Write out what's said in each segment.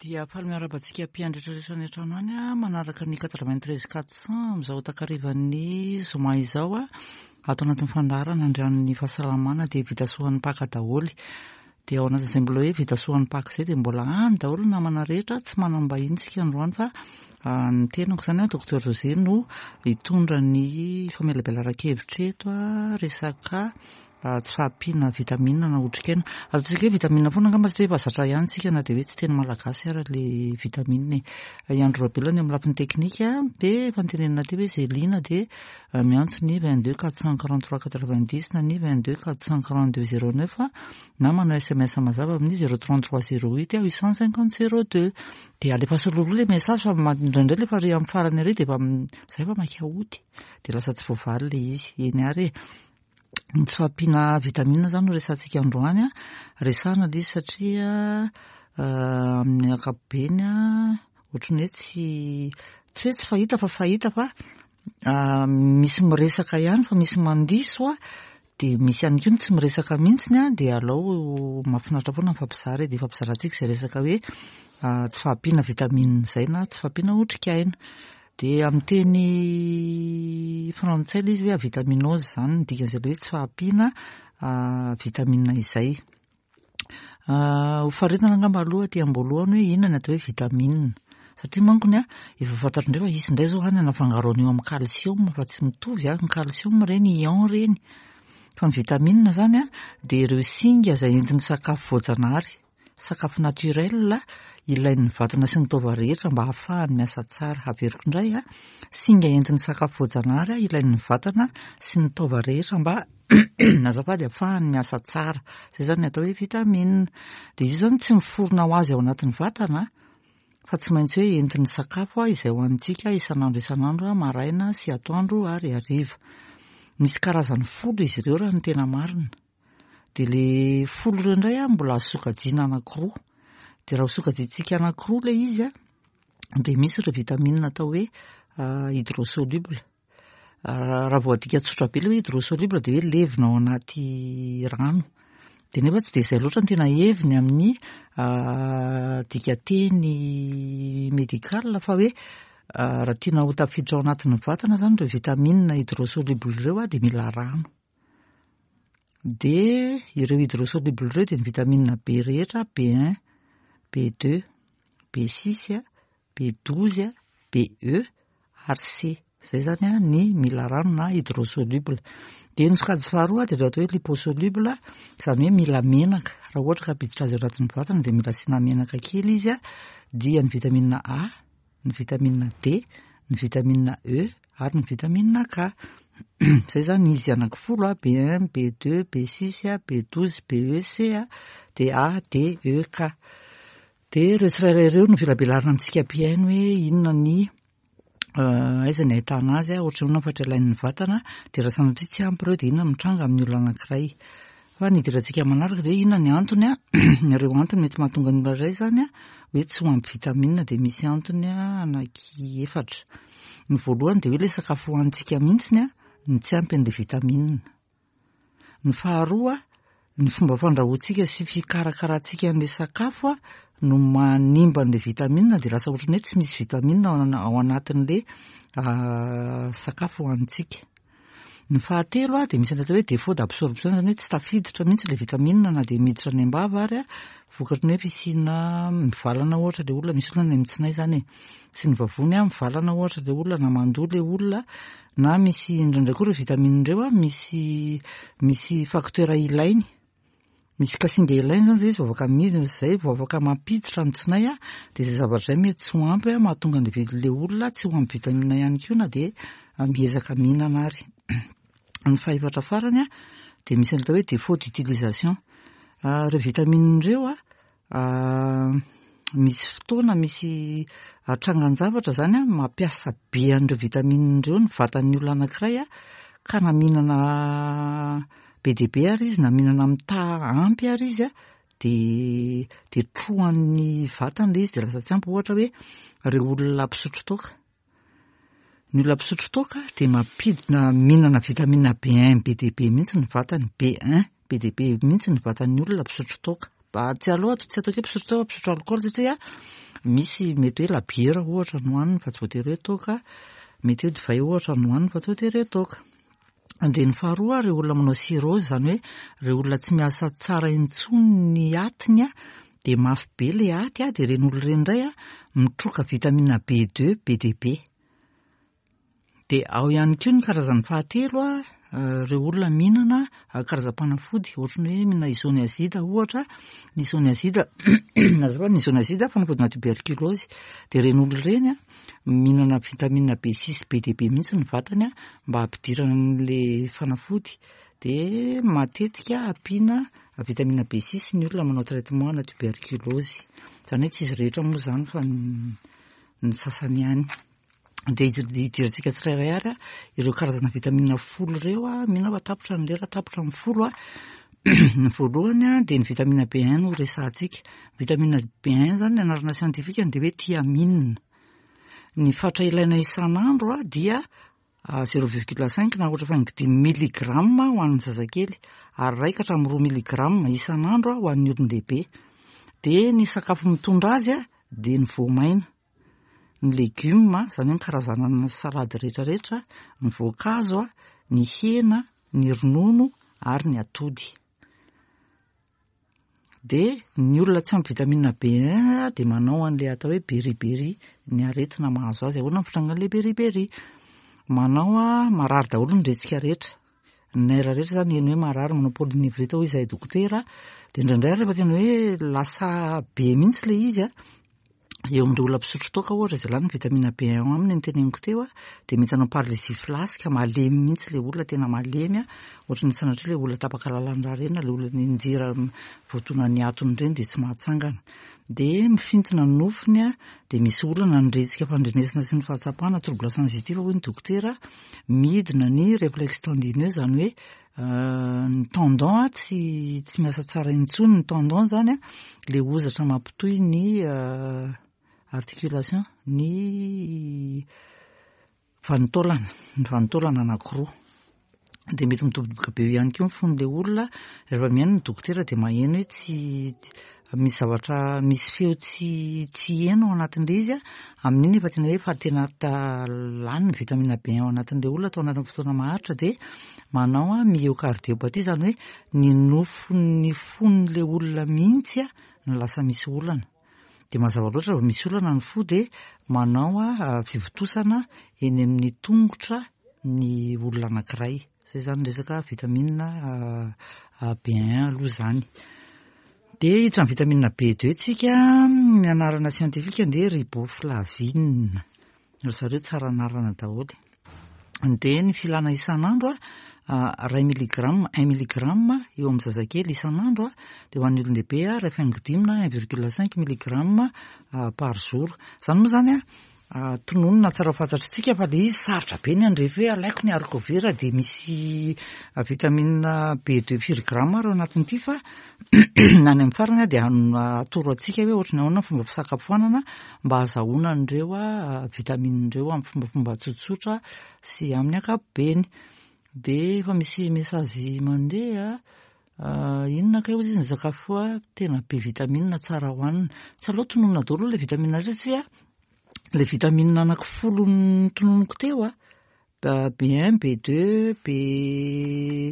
Dia faly miarahaba antsika mpiandry rehetra any an-trano any manaraka ny 93 400 amin'izao takarivan'ny zoma izao ato anatin'ny fandaharana andrian'ny fahasalamana dia vita soan'ny Paka daholo. Dia ao anatin'izay mbola hoe vita soan'ny Paka izay dia mbola any daholo ny namana rehetra, tsy manam-bahiny tsika androany fa ny tenako izany Docteur José no hitondra ny famelabelaran-kevitra eto resaka tsy fahampiana vitamine na otrikaina. Ataontsika hoe vitamine foana angamba satria efa zatra ihany tsika na dia hoe tsy teny malagasy ara le vitamine e. I Andry Raobelina ny eo amin'ny lafiny teknika dia efa notenenina teo hoe izay liana dia miantso ny 22 443 90 na ny 22 442 09 na manao sms mazava amin'ny 033 08 850 02. Dia alefaso roroa ilay message fa indraindray ilay efa re amin'ny farany ery dia efa izay efa maika hody dia lasa tsy voavaly ilay izy. Eny ary e. Ny tsy fahampiana vitamine izany no resahantsika androany an. Resahana ilay izy satria amin'ny ankapobeny an, ohatran'ny hoe tsy tsy hoe tsy fahita fa fahita fa misy miresaka ihany fa misy mandiso an, dia misy ihany koa ny tsy miresaka mihitsy an, dia alao mahafinaritra foana mifampizara e, dia ifampizarantsika izay resaka hoe tsy fahampiana vitamine izay na tsy fahampiana otrikaina. Dia amin'ny teny frantsay ilay izy hoe avitaminose izany ny dikan'izay ilay hoe tsy fahampiana vitamine izay. Ho faritana angamba aloha aty am-boalohany hoe inona ny atao hoe vitamine. Satria mankony an, efa fantatro indray fa hisy indray izao any hanafangaro an'io amin'ny calcium fa tsy mitovy an, ny calcium ireny ion ireny. Fa ny vitamine izany an, dia ireo singa izay entin'ny sakafo voajanahary. Sakafo naturel ilain'ny vatana sy ny taova rehetra mba hahafahany miasa tsara. Averiko indray, singa entin'ny sakafo voajanahary ilain'ny vatana sy ny taova rehetra mba azafady hahafahany miasa tsara. Izay izany ny atao hoe vitamine. Dia izy io izany tsy miforona ho azy ao anatin'ny vatana fa tsy maintsy hoe entin'ny sakafo izay hohanintsika isan'andro isan'andro, maraina sy atoandro ary hariva. Misy karazany folo izy ireo raha ny tena marina. Dia le folo ireo indray an, mbola azo sokajiana anankiroa. Dia raha ho sokajiantsika anankiroa ilay izy an, dia misy ireo vitamine atao hoe hydrosoluble. Raha vao adika tsotra be ilay hoe hydrosoluble dia hoe levona ao anaty rano. Dia nefa tsy dia izay loatra no tena heviny amin'ny dikanteny médical fa hoe raha tiana ho tafiditra ao anatin'ny vatana izany ireo vitamine hydrosoluble ireo dia mila rano. Dia ireo hydrosoluble ireo dia ny vitamine B rehetra, B1, B2, B6, B12, BE ary C. Izay izany ny mila rano na hydrosoluble. Dia ny sokajy faharoa dia ireo atao hoe liposoluble, izany hoe mila menaka. Raha ohatra ka hampiditra azy ao anatin'ny vatana dia mila asiana menaka kely izy, dia ny vitamine A, ny vitamine D, ny vitamine E ary ny vitamine K. Izay izany izy anankifolo a, B1, B2, B6, B12, BE, C, dia A, D, E, K. Dia ireo tsirairay ireo no velabelarina amintsika mpihaino hoe inona ny aiza ny ahitana azy, ohatran'ny ahoana ny fatra ilain'ny vatana, dia raha sanatria tsy ampy ireo dia inona no mitranga amin'ny olona anankiray. Fa ny idirantsika manaraka dia inona ny antony a, ireo antony mety mahatonga ny olona iray izany a, hoe tsy ho ampy vitamine dia misy antony anaky efatra. Ny voalohany dia hoe ilay sakafo hohanintsika mihitsiny a, no tsy ampy an'ilay vitamine. Ny faharoa, ny fomba fandrahoantsika sy fikarakarantsika an'ilay sakafo a, no manimba an'ilay vitamine dia lasa ohatran'ny hoe tsy misy vitamine ao anatin'ilay sakafo hohanintsika. Ny fahatelo dia misy ny atao hoe défaut d'absorption, izany hoe tsy tafiditra mihitsy ilay vitamine na dia miditra any am-bava ary vokatry ny hoe fisiana mivalana ohatra ilay olona, misy olona any amin'ny tsinay izany e, sy ny vavony mivalana ohatra ilay olona na mandoa ilay olona na misy indraindray koa ireo vitamine ireo misy misy facteur ilainy. Misy kasinga ilaina izany izay izy vao afaka midina, izay vao afaka mampiditra ny tsinay dia izay zavatra izay mety tsy ho ampy mahatonga an'ilay olona tsy ho ampy vitamine ihany koa na dia miezaka mihinana ary. Ny fahefatra farany dia misy ny atao hoe défaut d'utilisation. Ireo vitamine ireo Misy fotoana, misy trangan-javatra izany an, mampiasa be an'ireo vitamine ireo ny vatan'ny olona anankiray an, ka na mihinana be dia be ary izy na mihinana amin'ny taha ampy ary izy an, dia dia trohan'ny vatany ilay izy dia lasa tsy ampy. Ohatra hoe ireo olona mpisotro toaka. Ny olona mpisotro toaka dia mampidina mihinana vitamine B1 be dia be mihitsy ny vatany, B1 be dia be mihitsy ny vatan'ny olona mpisotro toaka. Tsy aleo tsy ataoko hoe mpisotro toaka, mpisotro alikaola satria misy mety hoe labiera ohatra no hohaniny fa tsy voatery hoe toaka, mety hoe divay ohatra no hohaniny fa tsy voatery hoe toaka. Dia ny faharoa, ireo olona manao cirrhose, izany hoe ireo olona tsy miasa tsara intsony ny atiny dia mafy be ilay aty, dia ireny olona ireny indray mitroka vitamine B2 be dia be. Dia ao ihany koa ny karazany fahatelo, ireo olona mihinana karazam-panafody ohatran'ny hoe mihinana isoniazida ohatra, ny isoniazida azafady, ny isoniazida fanafodina tuberculose, dia ireny olona ireny mihinana vitamine B6 be dia be mihitsy ny vatany mba hampidirana an'ilay fanafody, dia matetika ampiana vitamine B6 ny olona manao traitement ana tuberculose, izany hoe tsy izy rehetra moa izany fa ny sasany ihany. Dia hidirantsika tsirairay ary ireo karazana vitamine 10 ireo, mino aho fa tapitra ny lera, tapitra ny 10. Ny voalohany dia ny vitamine B1 no resahantsika. Vitamine B1 izany ny anarana siantifikany dia hoe thiamine. Ny fatra ilaina isan'andro dia 0,5 na ohatra faingo dimy miligrama ho an'ny zazakely ary iray ka hatramin'ny roa miligrama isan'andro ho an'ny olon-dehibe. Dia ny sakafo mitondra azy dia ny voamaina. Ny legioma, izany hoe ny karazana salady rehetra rehetra, ny voankazo, ny hena, ny ronono ary ny atody. Dia ny olona tsy ampy vitamine B1 dia manao an'ilay atao hoe beriberi, ny aretina mahazo azy. Ahoana ny fitrangan'ilay beriberi? Manao marary daholo ny retsika rehetra. Ny nerf rehetra izany heno hoe marary, manao polynévrite hoy izahay dokotera. Dia indraindray rehefa tena hoe lasa be mihitsy ilay izy an, eo amin'ireo olona mpisotro toaka ohatra izay lany vitamine B1 aminy ny teneniko teo dia mety hanao paralysie flasque, malemy mihitsy ilay olona, tena malemy ohatry ny sanatria ilay olona tapaka lalan-drà ireny na ilay olona nianjera voadonan'ny atony ireny dia tsy mahatsangana. Dia mifintina ny nofony dia misy olana ny retsika fandrenesana sy ny fahatsapana, trouble sensitif hoy ny dokotera, midina ny reflexe tendineux izany hoe ny tendon tsy tsy miasa tsara intsony, ny tendon izany ilay hozatra mampitohy ny articulation, ny vanin-taolana, ny vanin-taolana anankiroa. Dia mety midobodoboka be eo ihany koa ny fon'ilay olona, rehefa mihaino ny dokotera dia maheno hoe tsy misy zavatra, misy feo tsy tsy heno ao anatin'ilay izy an, amin'iny efa tena hoe efa tena lany ny vitamine B ao anatin'ilay olona tao anatin'ny fotoana maharitra dia manao myocardiopathie, izany hoe ny nofon'ny fon'ilay olona mihitsy no lasa misy olana. Dia mazava loatra raha vao misy olana ny fo dia manao fivontosana eny amin'ny tongotra ny olona anankiray. Izay izany resaka vitamine B1 aloha izany. Dia hiditra amin'ny vitamine B2 tsika, ny anarana siantifika dia riboflavine. Ry zareo tsara anarana daholo. Dia ny filana isan'andro, iray miligrama, un milligramme eo amin'ny zazakely isan'andro, dia ho an'ny olon-dehibe iray faingo dimy na un virgule cinq milligramme par jour. Izany moa izany Tononina tsara ho fantatr'tsika fa le izy sarotra be ny handrefy hoe alaiko ny haricot vert dia misy vitamine B2 firy gramme ary ao anatin'ity fa na any amin'ny farany dia atoro antsika hoe ohatry ny ahoana ny fomba fisakafoanana mba hahazahoana an'ireo vitamine ireo amin'ny fombafomba tsotsotra sy amin'ny ankapobeny. Dia efa misy message mandeha inona kay hozy izy ny sakafo tena be vitamine tsara hohanina. Tsy aleo tononina daholo ilay vitamine rehetra satria ilay vitamine anaky folo notononiko teo a, B1, B2, B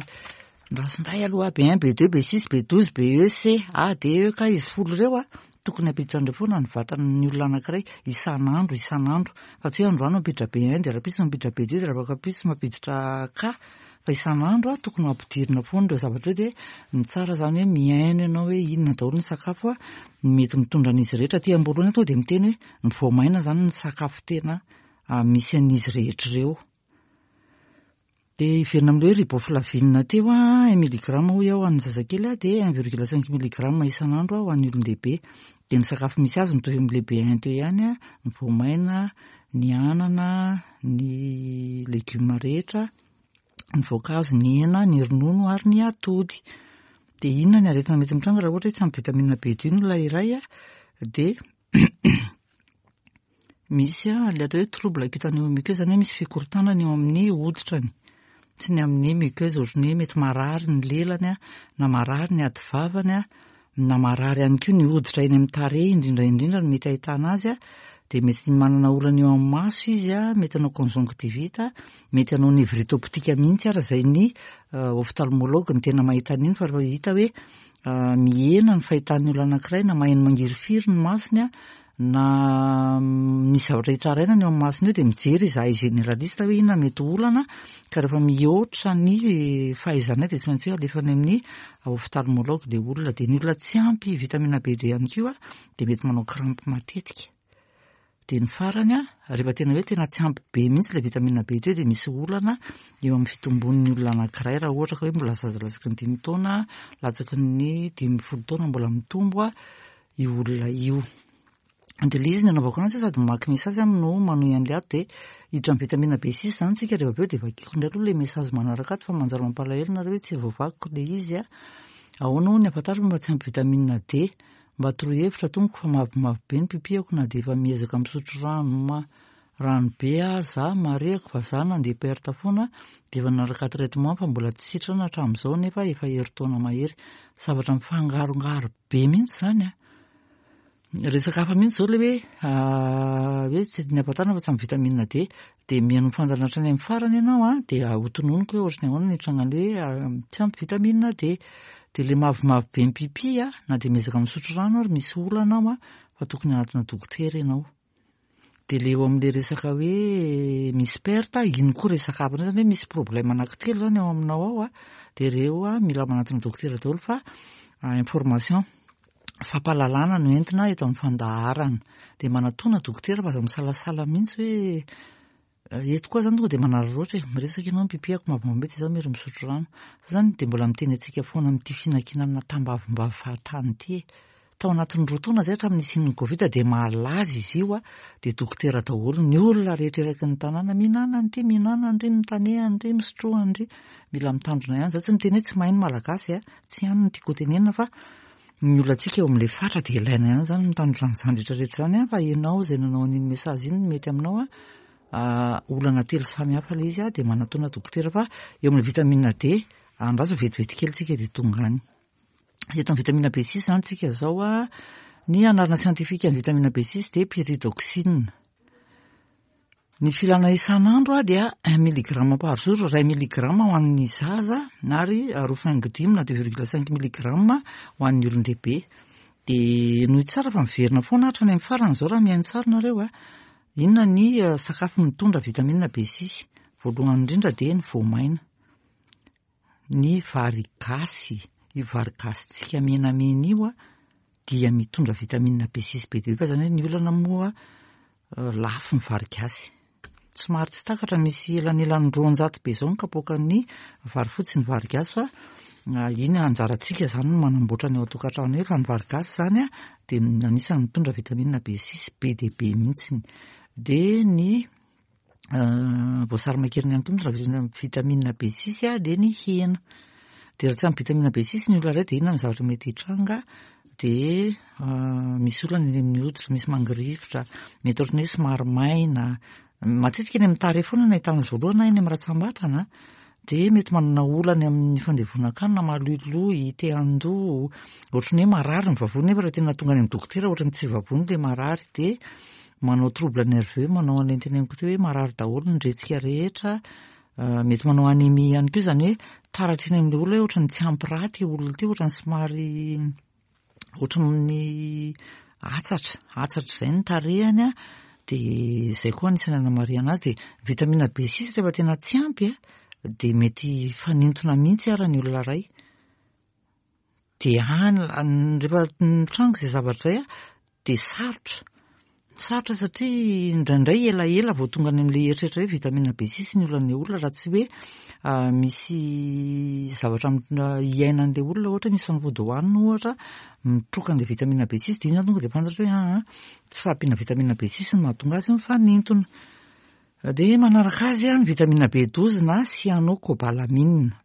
andraso indray aloha B1, B2, B6, B12, BE, C, A, D, E, K izy folo ireo a, tokony hampiditra an'ireo foana ny vatan'ny olona anankiray isan'andro isan'andro fa tsy hoe androany mampiditra B1 dia rahampitso mampiditra B2 dia rahampitso mampiditra K fa isan'andro tokony ho ampidirina foana ireo zavatra ireo dia ny tsara izany hoe mihaino ianao hoe inona daholo ny sakafo mety mitondra an'izy rehetra. Aty am-boalohany aho tonga dia miteny hoe ny voamaina izany ny sakafo tena misy an'izy rehetra ireo. Dia hiverina amin'ilay hoe riboflavine teo un milligramme hoy aho ho an'ny zazakely dia un virgule cinq milligramme isan'andro ho an'ny olon-dehibe. Dia ny sakafo misy azy mitovy amin'ilay B1 teo ihany, ny voamaina, ny anana, ny legioma rehetra, ny voankazo, ny hena, ny ronono ary ny atody. Dia inona ny aretina mety mitranga raha ohatra hoe tsy ampy vitamine B2 ny olona iray dia misy ilay atao hoe trouble cutanéo-muqueux, izany hoe misy fikorontanana eo amin'ny hoditrany sy ny amin'ny muqueuse, ohatran'ny hoe mety marary ny lelany na marary ny ativavany. Na marary ihany koa ny hoditra eny amin'ny tarehy indrindra indrindra no mety ahitana azy dia mety manana olana eo amin'ny maso izy, mety hanao conjonctivite, mety hanao névrite optique mihitsy ary izay ny ophtalmologue no tena mahita an'iny fa rehefa hita hoe mihena ny fahitan'ny olona anankiray na maheno mangirifiry ny masony na misy zavatra hitarainana eo amin'ny masony eo dia mijery izahay généraliste hoe inona mety ho olana ka rehefa mihoatra ny fahaizanay dia tsy maintsy hoe alefa any amin'ny ophtalmologue ilay olona. Dia ny olona tsy ampy vitamine B2 ihany koa dia mety manao crampe matetika. Dia ny farany, rehefa tena hoe tena tsy ampy be mihitsy ilay vitamine B2 dia misy olana eo amin'ny fitombon'ny olona anankiray raha ohatra ka hoe mbola zaza latsaky ny 5 taona, latsaky ny 15 taona mbola mitombo io olona io. Dia ilay izy ny anaovako anazy sady mamaky message aho no manohy an'ilay ato dia hiditra amin'ny vitamine B6 izany tsika rehefa avy eo dia vakiko indray aloha ilay message manaraka ato fa manjary mampalahelo nareo hoe tsy voavakiko ilay izy a. Ahoana hono ny ahafantarako mba tsy ampy vitamine D? Mba toroy hevitra tompoko fa mavomavo be ny pipiako na dia efa miezaka misotro rano ma rano be aza, marihako fa za nandeha perte foana dia efa nanaraka traitement fa mbola tsy sitrana hatramin'izao nefa efa herintaona mahery. Zavatra mifangarongaro be mihitsy izany a. Resaka hafa mihitsy izao ilay hoe hoe tsy ny ampatarina fa tsy ampy vitamine D. Dia mihaino ny fandaharana hatrany amin'ny farany ianao a, dia hotononiko hoe ohatran'ny ahoana ny hitrangan'ilay hoe tsy ampy vitamine D. Dia ilay mavomavo be ny pipi a, na dia miezaka misotro rano ary misy olana ao a, fa tokony hanatona dokotera ianao. Dia ilay eo amin'ilay resaka hoe misy perte, iny koa resaka hafa indray izany hoe misy problème anankitelo izany ao aminao ao a, dia ireo a mila manatona dokotera daholo fa information, fampahalalana no entina eto amin'ny fandaharana. Dia manatona dokotera fa aza misalasala mihitsy hoe Eto koa zany tonga dia manararaotra e, miresaka ianao ny pipiako mavomavo be dia izaho miery misotro rano. Za zany dia mbola miteny antsika foana amin'ity fihinankinana tambavimbavy fahatany ity e. Tao anatin'ny 2 taona izay hatramin'ny nisian'ny Covid dia malaza izy io a, dia dokotera daholo ny olona rehetra eraky ny tanàna, mihinana an'ity, mihinana an'ry, mitaneha an'ry, misotroa an'ry. Mila mitandrina ihany. Za tsy miteny hoe tsy mahay ny Malagasy a, tsy any no tiako hotenenina fa ny olantsika eo amin'ilay fatra dia ilaina ihany izany mitandrina an'izany rehetra rehetra izany fa ianao izay nanao an'iny message iny mety aminao a, olana telo samy hafa ilay izy a, dia manatona dokotera fa eo amin'ilay vitamine D andraso vetivety kely tsika dia tonga any. Eto amin'ny vitamine B6 izany tsika izao a, ny anarana siantifika ny vitamine B6 dia pyridoxine. Ny filana isan'andro dia un milligramme par jour, iray milligramme ho an'ny zaza ary roa faingo dimy na deux virgule cinq milligramme ho an'ny olon-dehibe. Dia henoy tsara fa miverina foana hatrany amin'ny farany izao raha mihaino tsara nareo a. Inona ny sakafo mitondra vitamine B6? Voalohany indrindra dia ny voamaina. Ny vary gasy, io vary gasintsika menamena io dia mitondra vitamine B6 be dia be fa izany hoe ny olana moa lafo ny vary gasy. Somary tsy takatra misy elanelany 200 be izao ny kapoakan'ny vary fotsy sy ny vary gasy fa iny anjarantsika izany no manamboatra ny ao an-tokantrano eo fa ny vary gasy izany dia anisan'ny mitondra vitamine B6 be dia be mihitsy. Dia ny voasary makirana ihany koa mitondra vitamine B6 dia ny hena. Dia raha tsy ampy vitamine B6 ny olona iray dia inona ny zavatra mety hitranga? Dia misy olana eny amin'ny hoditra, misy mangirifotra, mety ohatran'ny hoe somary maina. Matetika eny amin'ny tarehy foana no ahitana azy voalohany na eny amin'ny ratsambatana. Dia mety manana olana amin'ny fandevonan-kanina, maloiloy, te handoa, ohatran'ny hoe marary ny vavony nefa raha tena tonga any amin'ny dokotera ohatran'ny tsy vavony ilay marary. Dia manao trouble nerveux, manao an'ilay noteneniko teo hoe marary daholo ny retsika rehetra, mety manao anémie ihany koa, izany hoe taratra eny amin'ilay olona hoe ohatran'ny tsy ampy rà ity olona ity, ohatran'ny somary ohatran'ny atsatra, atsatra izay ny tarehiny an, dia izay koa anisan'ny anamarihana azy, dia vitamine B6 rehefa tena tsy ampy an, dia mety hifanintona mihitsy ara ny olona iray. Dia any, rehefa mitranga izay zavatra izay an, dia sarotra. Sarotra satria indraindray elaela vao tonga any amin'ilay eritreritra hoe vitamine B6 ny olan'ilay olona raha tsy hoe misy zavatra iainan'ilay olona, ohatra hoe misy fanafody hohanina ohatra mitroka an'ilay vitamine B6 dia iny izany tonga dia fantatra hoe aa tsy fahampiana vitamine B6 no mahatonga azy mifanintona. Dia manaraka azy ny vitamine B12 na cyanocobalamine.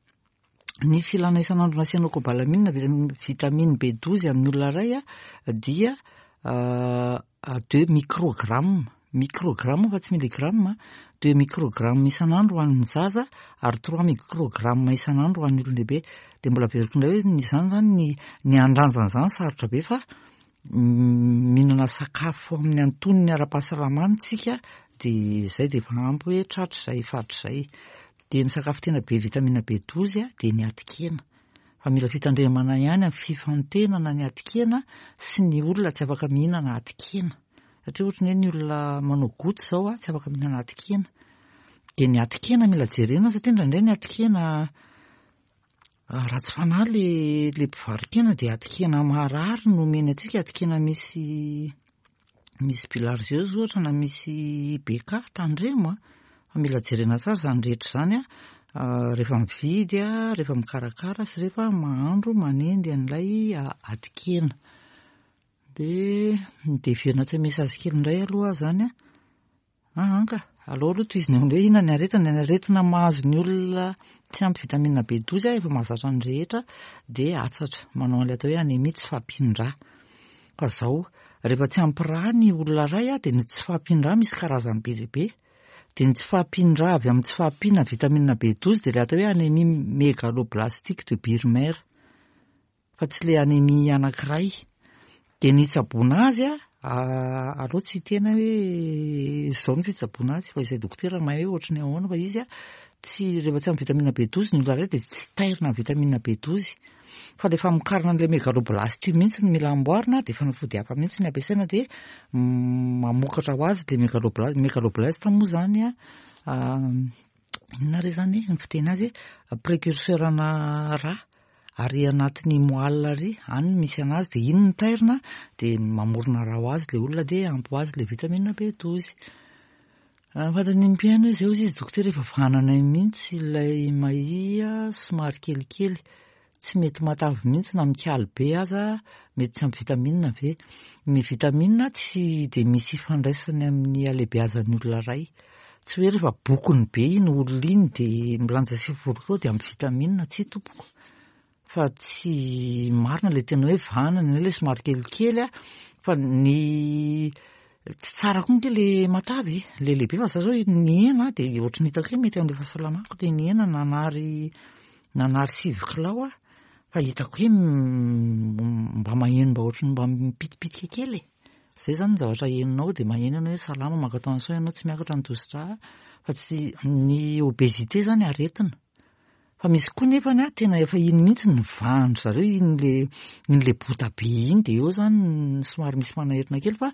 Ny filana isan'andro na cyanocobalamine vitamine B12 amin'ny olona iray dia 2 microgramme. microgramme fa tsy milligramme, deux microgramme isan'andro ho an'ny zaza ary trois microgramme isan'andro ho an'ny olon-dehibe. Dia mbola averiko indray hoe izany izany ny ny handranjana izany sarotra be fa mihinana sakafo amin'ny antonony ara-pahasalamana isika dia izay dia efa ampy hoe tratra izay faritra izay. Dia ny sakafo tena be vitamine B12 dia ny atin-kena. Fa mila fitandremana ihany amin'ny fifantenana ny atin-kena sy ny olona tsy afaka mihinana atin-kena. Satria ohatry ny hoe ny olona manao goutte izao tsy afaka mihinana atin-kena. Dia ny atin-kena mila jerena satria indraindray ny atin-kena ratsy fanahy le le mpivaro-kena dia atin-kena maharary no omeny antsika, atin-kena misy misy bilharziose ohatra na misy BK, tandremo a! Fa mila jerena tsara izany rehetra izany a, rehefa mividy a, rehefa mikarakara sy rehefa mahandro manendy an'ilay atin-kena. Dia dia heverina tsy message kely indray aloha aho izany a. Aa ka, aleo aloha tohizina amin'ny hoe inona ny aretina, ny aretina mahazo ny olona tsy ampy vitamine B12 efa mahazatra ny rehetra dia atsatra, manao an'ilay atao hoe anémie tsy fahampian-drà. Fa izao, rehefa tsy ampy rà ny olona iray dia ny tsy fahampian-drà misy karazany be dia be. Dia ny tsy fahampian-drà avy amin'ny tsy fahampiana vitamine B12 dia ilay atao hoe anémie mégaloblastique de Birmer. Fa tsy le anémie anankiray. Dia ny hitsaboana azy a, aleo tsy hiteny aho hoe izao ny fitsaboana azy fa izay dokotera mahay hoe ohatry ny ahoana fa izy a, tsy rehefa tsy ampy vitamine B12 ny olona iray dia tsy tairina amin'ny vitamine B12. Fa le famokarana an'ilay mégaloblaste io mihitsy no mila amboarina dia fanafody hafa mihitsy ny ampiasaina dia mamokatra ho azy le mégaloblaste. Mégaloblaste moa izany a, inona re izany ny fiteny azy, précurseur ana rà. Ary anatin'ny moelle ary, any no misy anazy dia iny no tairina dia mamorona rà ho azy ilay olona dia ampy ho azy ilay vitamine B12. Raha ny fantatr'ny mpihaino hoe izay hozy izy dokotera efa vananay mihitsy ilay mahia somary kelikely, tsy mety matavy mihitsy na mikaly be aza, mety tsy ampy vitamine ve? Ny vitamine tsy dia misy ifandraisany amin'ny halehibeazan'ny olona iray. Tsy hoe rehefa bokony be iny olona iny dia milanja 90 kilao dia ampy vitamine, tsia tompoko. Fa tsy marina ilay tena hoe vanana na ilay somary kelikely a, fa ny tsy tsara koa ange ilay matavy e, ilay lehibe fa za zao nihena dia ohatry ny hitako hoe mety amin'ilay fahasalamako ilay nihena nanary nanary 9 kilao aho fa hitako hoe mba maheno mba ohatry ny mba mipitipitika kely e. Zay zany ny zavatra henonao dia maheno ianao hoe salama maka tension ianao tsy miakatra ny tosi-drà fa tsy ny obésité zany aretina. Fa misy koa nefany a tena efa iny mihitsy ny vahan-dry zareo iny le iny le bota be iny dia eo zany somary misy manaerina kely fa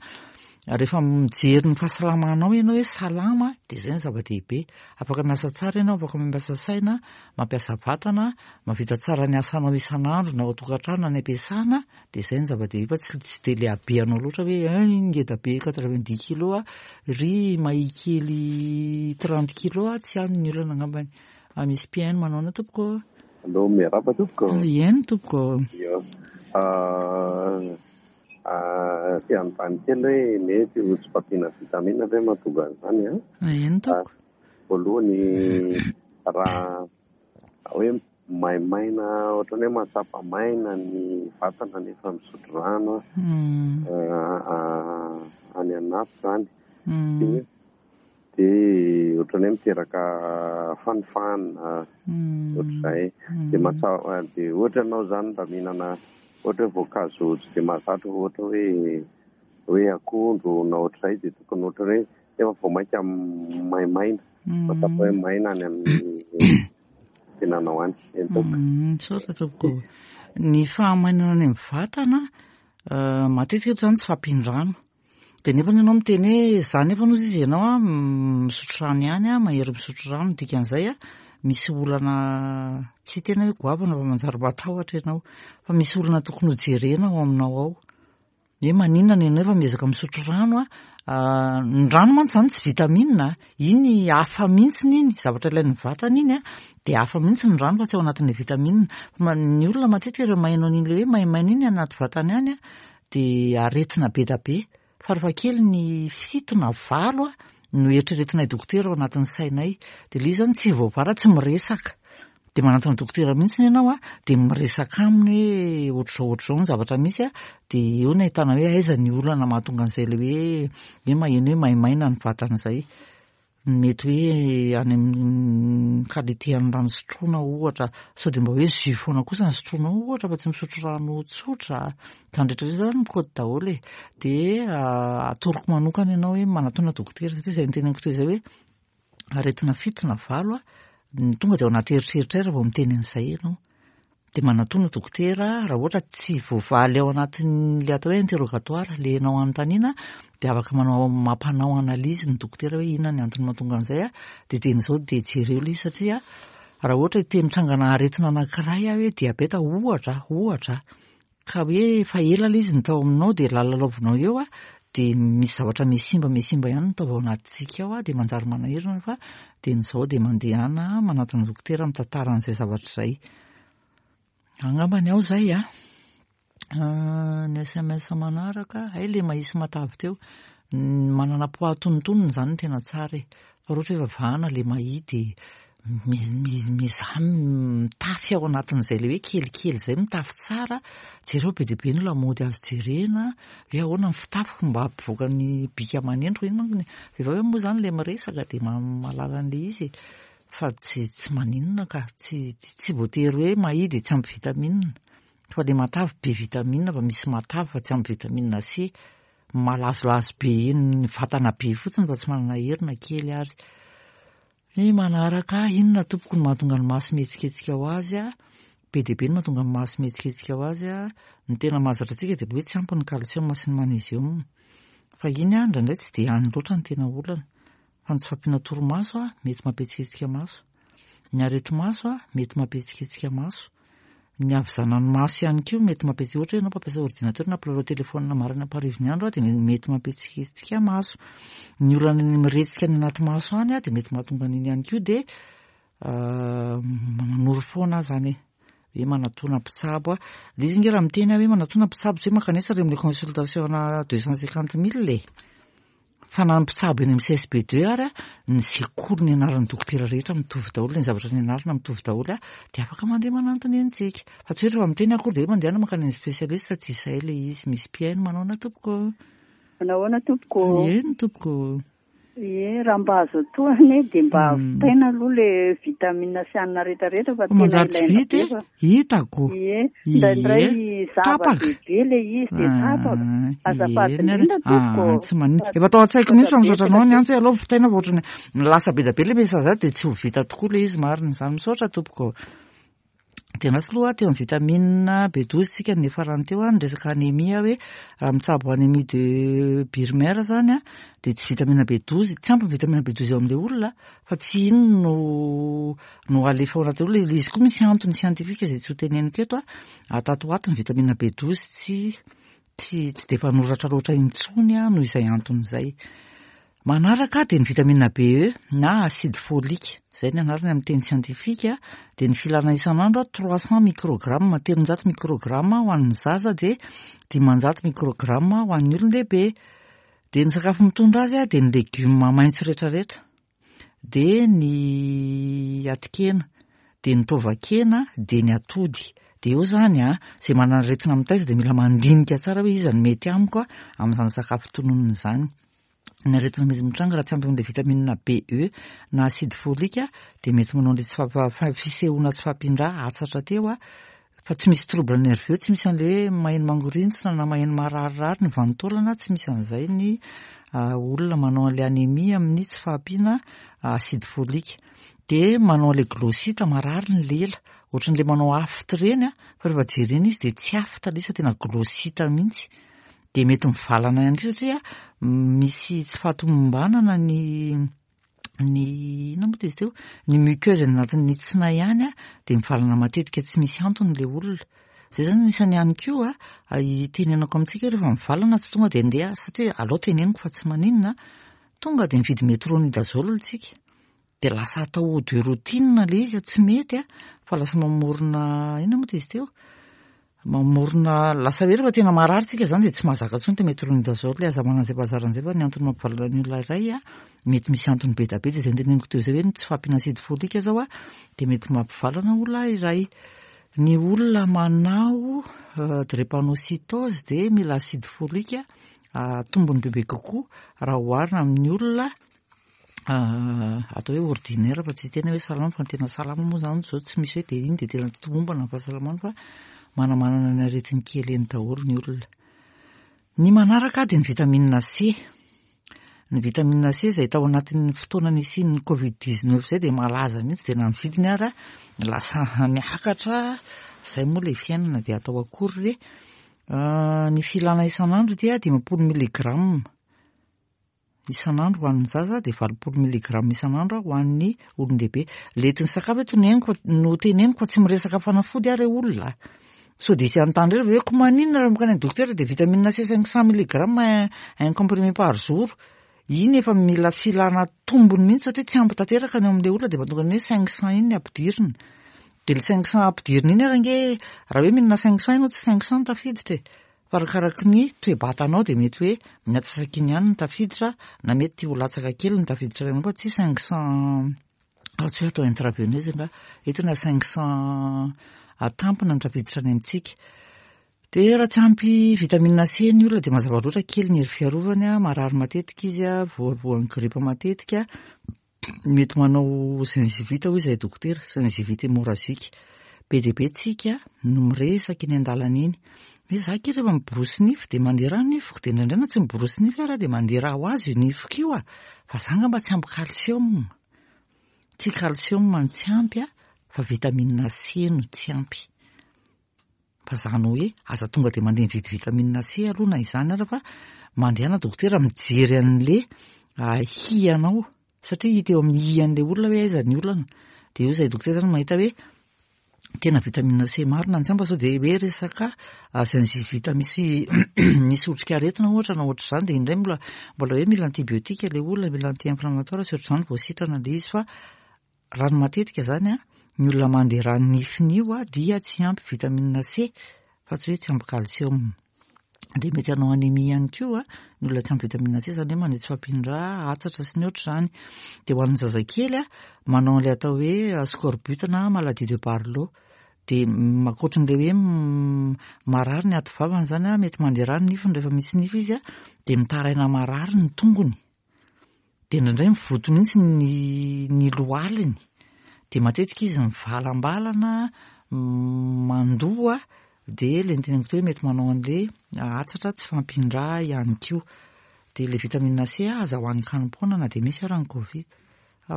rehefa mijery ny fahasalamanao ianao hoe salama dia zay ny zava-dehibe. Afaka miasa tsara ianao, afaka mampiasa saina, mampiasa vatana, mahavita tsara ny asanao isan'andro na ao an-tokantrano na any am-piasana Dia izay no zava-dehibe fa tsy tsy dia le habeanao loatra hoe hein ngeda be 90 kilos a, ry mahia kely 30 kilos a, tsy any ny olana angambany. Ah, misy mpihaino manaona tompoko ô? Allo, miarahaba tompoko. Eny tompoko. Io. Te hanontany kely hoe mety ho tsy fahampiana vitamine ve mahatonga an'izany an? Eny tompoko. Voalohany raha hoe maimaina ohatran'ny hoe mahatsapa maina ny vatana nefa misotro rano any anaty izany. Dia ohatran'ny hoe miteraka fanifanina ohatr'izay. Dia mahatsapa dia ohatra ianao izany mba mihinana ohatra hoe voankazo tsy dia mahazatra ohatra hoe hoe akondro na ohatr'izay dia tokony ohatran'ny hoe nefa vao mainka maimaina. Mahatsapa hoe maina any amin'ny tenanao any. Eny tompoko. Misaotra tompoko. Ny fahamainana any amin'ny vatana, matetika eto izany tsy fahampian-drano. Dia nefa ianao miteny hoe za nefa hozy izy ianao an, misotro rano ihany an, mahery misotro rano, ny dikan'izay an, misy olana tsy hiteny hoe goavana fa manjary matahotra ianao. Fa misy olana tokony hojerena ao aminao ao. Hoe maninona ny anao efa miezaka misotro rano a? Ny rano mantsy izany tsy vitamine a, iny hafa mihitsy iny, zavatra ilain'ny vatana iny a, dia hafa mihitsy ny rano fa tsy ao anatin'ilay vitamine. Fa ny olona matetika rehefa maheno an'iny ilay hoe maimaina iny anaty vatany any a, dia aretina be dia be. Farafahakeliny 7 na 8 no eritreretinay dokotera ao anatin'ny sainay. Dia ilay izy izany tsy voavaha raha tsy miresaka. Dia manantona dokotera mihitsy ianao a, dia miresaka aminy hoe ohatr'izao ohatr'izao ny zavatra misy a, dia eo no ahitana hoe aiza ny olana mahatonga an'izay ilay hoe hoe maheno hoe maimaina ny vatana izay. Mety hoe any amin'ny qualité an'ny rano sotroina ohatra, sao dia mba hoe jus foana kosa no sotroinao ohatra fa tsy misotro rano tsotra. Izany rehetra izany izany mikaoty daholo e. Dia atoroko manokana ianao hoe manatona dokotera satria izay noteneniko teo izay hoe aretina fito na valo ny tonga dia ao anaty eritreritra raha vao miteny an'izay ianao. Dia manatona dokotera raha ohatra tsy voavaly ao anatin'ilay atao hoe interrogatoire ilay ianao anontaniana dia afaka manao mampanao analyse ny dokotera hoe inona ny antony mahatonga an'izay dia dieny izao dia jereo ilay izy satria raha ohatra hiteny trangana aretina anankiray aho hoe diabeta ohatra ohatra Ka hoe efa ela ilay izy no tao aminao dia lalalaovinao eo a, dia misy zavatra mihasimba mihasimba ihany ny taova ao anatintsika ao a, dia manjary manahirana fa dia ny izao dia mandehana manatona dokotera mitantara an'izay zavatra izay. Angambany ao izay a. Ny sms manaraka, hay ilay mahia sy matavy teo. Ny manana poids antonontonony izany no tena tsara e. Fa raha ohatra hoe vavahana ilay mahia dia mizaha mitafy ao anatin'izay ilay hoe kelikely izay mitafy tsara, jereo be dia be ny lamaody azo jerena, hoe ahoana ny fitafiko mba hampivoaka ny bika aman'endriko, iny manko ny vehivavy moa izany ilay miresaka dia mahalala an'ilay izy e, fa tsy tsy maninona ka, tsy tsy voatery hoe mahia dia tsy ampy vitamine, fa ilay matavy be vitamine fa misy matavy fa tsy ampy vitamine C, malazolazo be eny vatana be fotsiny fa tsy manana hery na kely ary. Ny manaraka, inona tompoko no mahatonga ny maso mihetsiketsika ho azy a? Be dia be ny mahatonga ny maso mihetsiketsika ho azy a. Ny tena mahazatra antsika dia hoe tsy ampy ny calcium sy ny magnésium. Fa iny a, indraindray tsy dia any loatra ny tena olana. Fa ny tsy fahampiana torimaso a, mety mampihetsiketsika maso. Ny areti-maso a, mety mampihetsiketsika maso. Ny havizanan'ny maso ihany koa mety mampihetsi-, ohatra hoe ianao mpampiasa ordinateur na mpilalao telefaonina maraina amparivo ny andro dia mety mampihetsiketsika maso. Ny olana ny miretsika any anaty maso any dia mety mahatonga an'iny ihany koa dia manoro foana aho izany e. Hoe manatona mpitsabo aho. Ilay izy ange raha miteny aho hoe manatona mpitsabo tsy hoe mankanesa ary amin'ilay consultation ana 250 000 e. Fa na ny mpitsabo eny amin'ny CSB deux ary ny sekoly nianaran'ny dokotera rehetra mitovy daholo, ny zavatra nianarana mitovy daholo dia afaka mandeha manantona eny tsika. Fa tsy hoe rehefa miteny akory dia hoe mandehana mankany amin'ny spécialiste, tsy izay ilay izy. Misy mpihaino manaona tompoko? Manahoana tompoko? Eny tompoko. Ie, raha mba azo atao anie dia mba vitaina aloha le vitamine sy hanina rehetra rehetra fa tena Manjary tsy ilaina vita be e, fa. hitako. Ie, Ie, indraindray tapaka. zava-dehibe le izy dia tapaka. Ah, Azafady eny ary. indrindra tompoko. Ah, tsy maninona. Efa tao an-tsaiko mihitsy fa misaotra anao ny antso hoe aleo vitaina fa ohatran'ny lasa be dia be ilay message ato dia tsy ho vita tokoa ilay izy marina izany. Misaotra tompoko. Dia andraso aloha teo amin'ny vitamine B12 tsika ny niafarany teo ny resaka anémie hoe raha mitsabo anémie de Birmer zany dia tsy vitamine B12, tsy ampy ny vitamine B12 eo amin'ilay olona fa tsy iny no no alefa ao anatin'ny olona. Ilay izy koa misy antony scientifique izay tsy ho teneniko eto a, tato ho ato ny vitamine B12 tsy tsy tsy dia mpanoratra loatra intsony noho izay antony izay. Manaraka dia ny vitamine BE na acide folique, izay ny anarany amin'ny teny siantifika, dia ny filana isan'andro 300 microgramme, 300 microgramme ho an'ny zaza dia 500 microgramme ho an'ny olon-dehibe. Dia ny sakafo mitondra azy dia ny legioma maitso rehetrarehetra. dia ny atikena, dia ny taovan-kena, dia ny atody. Dia eo izany an, izay manana aretina mitaiza dia mila mandinika tsara hoe iza no mety amiko amin'izany sakafo tononina izany. Ny aretina mety mitranga raha tsy ampy amin'ilay vitamine BE na acide folique dia mety manao an'ilay tsy faha- fisehoana tsy fahampian-drà hatsatra teo Fa tsy misy trouble nerveux, tsy misy an'ilay hoe maheno mangorintsina na maheno mararirary ny vanin-taolana, tsy misy an'izay ny olona manao an'ilay anémie amin'ny tsy fahampiana acide folique. Dia manao an'ilay glossite, marary ny lela, ohatran'ilay manao aphte ireny fa rehefa jerena izy dia tsy aphte ilay izy fa tena glossite mihitsy. Dia mety mivalana ihany koa satria misy tsy fahatomombanana ny ny inona moa izy teo ny muqueuse any anatin'ny tsinay ihany a dia mivalana matetika tsy misy antony ilay olona zay zany anisany ihany koa a itenenako amintsika rehefa mivalana tsy tonga dia andeha satria alao teneniko fa tsy maninona tonga dia mividy metronidazole tsika dia lasa atao de routine ilay izy tsy mety a fa lasa mamorona inona moa izy teo Mamorona lasa hoe rehefa tena marary tsika zany dia tsy mahazaka intsony ity metronidazole aza manana izay bazary an'izay fa ny antony mampivalana ny olona iray a. Mety misy antony be dia be dia izay noteneniko teo izay hoe ny tsy fahampiana acide folique izao a dia mety mampivalana olona iray. Ny olona manao drépanocytose dia mila acide folique tombony bebe kokoa raha oharina amin'ny olona atao hoe ordinaire fa tsy tena hoe salama fa ny tena salama moa izany izao tsy misy hoe dia iny dia tena tomombana ny fahasalamana fa manamanana ny aretiny kely eny daholo ny olona. Ny manaraka dia ny vitamine C. Ny vitamine C izay tao anatin'ny fotoana nisian'ny Covid 19 izay dia malaza mihitsy dia na ny vidiny ara lasa miakatra, izay moa ilay fiainana dia atao akory re. Ny filana isan'andro dia 50 milligramme isan'andro ho an'ny zaza dia 80 milligramme isan'andro ho an'ny olon-dehibe. Ilay entin'ny sakafo eto no henoko no teneniko fa tsy miresaka fanafody aho re olona. Sao dia hisy hanontany indray hoe ko maninona raha mankany amin'ny dokotera dia vitamine C 500 milligramme un comprimé par jour. Iny efa mila filana tombony mihitsy satria tsy ampy tanteraka ny ao amin'ilay olona dia efa tonga ny hoe 500 iny ny ampidirina. Dia ilay 500 ampidirina iny ary ange raha hoe mihinana 500 ianao tsy 500 no tafiditra e. Fa arakaraky ny toe-batanao dia mety hoe ny antsasak'iny ihany no tafiditra na mety ho latsaka kely ny tafiditra aminao fa tsy 500 raha tsy hoe atao intraveineuse angaha. Eto na 500 atampina no tafiditra any amintsika. Dia raha tsy ampy vitamine C ny olona dia mazava loatra kely ny hery fiarovany, marary matetika izy, voavoan'ny gripa matetika, mety manao gingivite hoy izahay dokotera, gingivite hémorragique. Be dia be tsika no miresaka eny an-dalana eny hoe za akia rehefa miborosy nify dia mandeha rà ny nifiko, dia indraindray na tsy miborosy nify ary aho dia mandeha rà ho azy io nifiko io a, fa za angamba tsy ampy calcium. Tsy calcium no tsy ampy fa vitamine C no tsy ampy. Fa zany hoe aza tonga dia mandeha mividy vitamine C aloha na izany ara fa mandehana dokotera mijery an'le hianao satria hita eo amin'ny hian'le olona hoe aiza ny olana. Dia eo izay dokotera zany mahita hoe tena vitamine C marina ny tsy ampy fa sao dia hoe resaka gingivite misy misy otrikaretina ohatra na ohatr'izany dia indray mbola mbola hoe mila antibiotique ilay olona, mila anti-inflammatoire sy ohatr'izany vao sitrana ilay izy fa raha ny matetika izany an, ny olona mandeha rà nifiny io dia tsy ampy vitamine C fa tsy hoe tsy ampy calcium. Dia mety hanao anémie ihany koa ny olona tsy ampy vitamine C, izany hoe manao tsy fahampian-drà, atsatra sy ny ohatr'izany. Dia ho an'ny zazakely manao an'ilay atao hoe scorbut na maladie de Barlow. Dia ankoatran'ilay hoe marary ny aty vavany izany, mety mandeha rà ny nifiny rehefa misy nify izy, dia mitaraina marary ny tongony. Dia indraindray mivoto mihitsy ny ny lohaliny. Dia matetika izy mivalambalana, mandoa, dia ilay noteneniko teo hoe mety manao an'ilay atsatra tsy fahampian-drà ihany koa. Dia ilay vitamine C aza hohanin-kanim-poana na dia misy ara ny Covid. Fa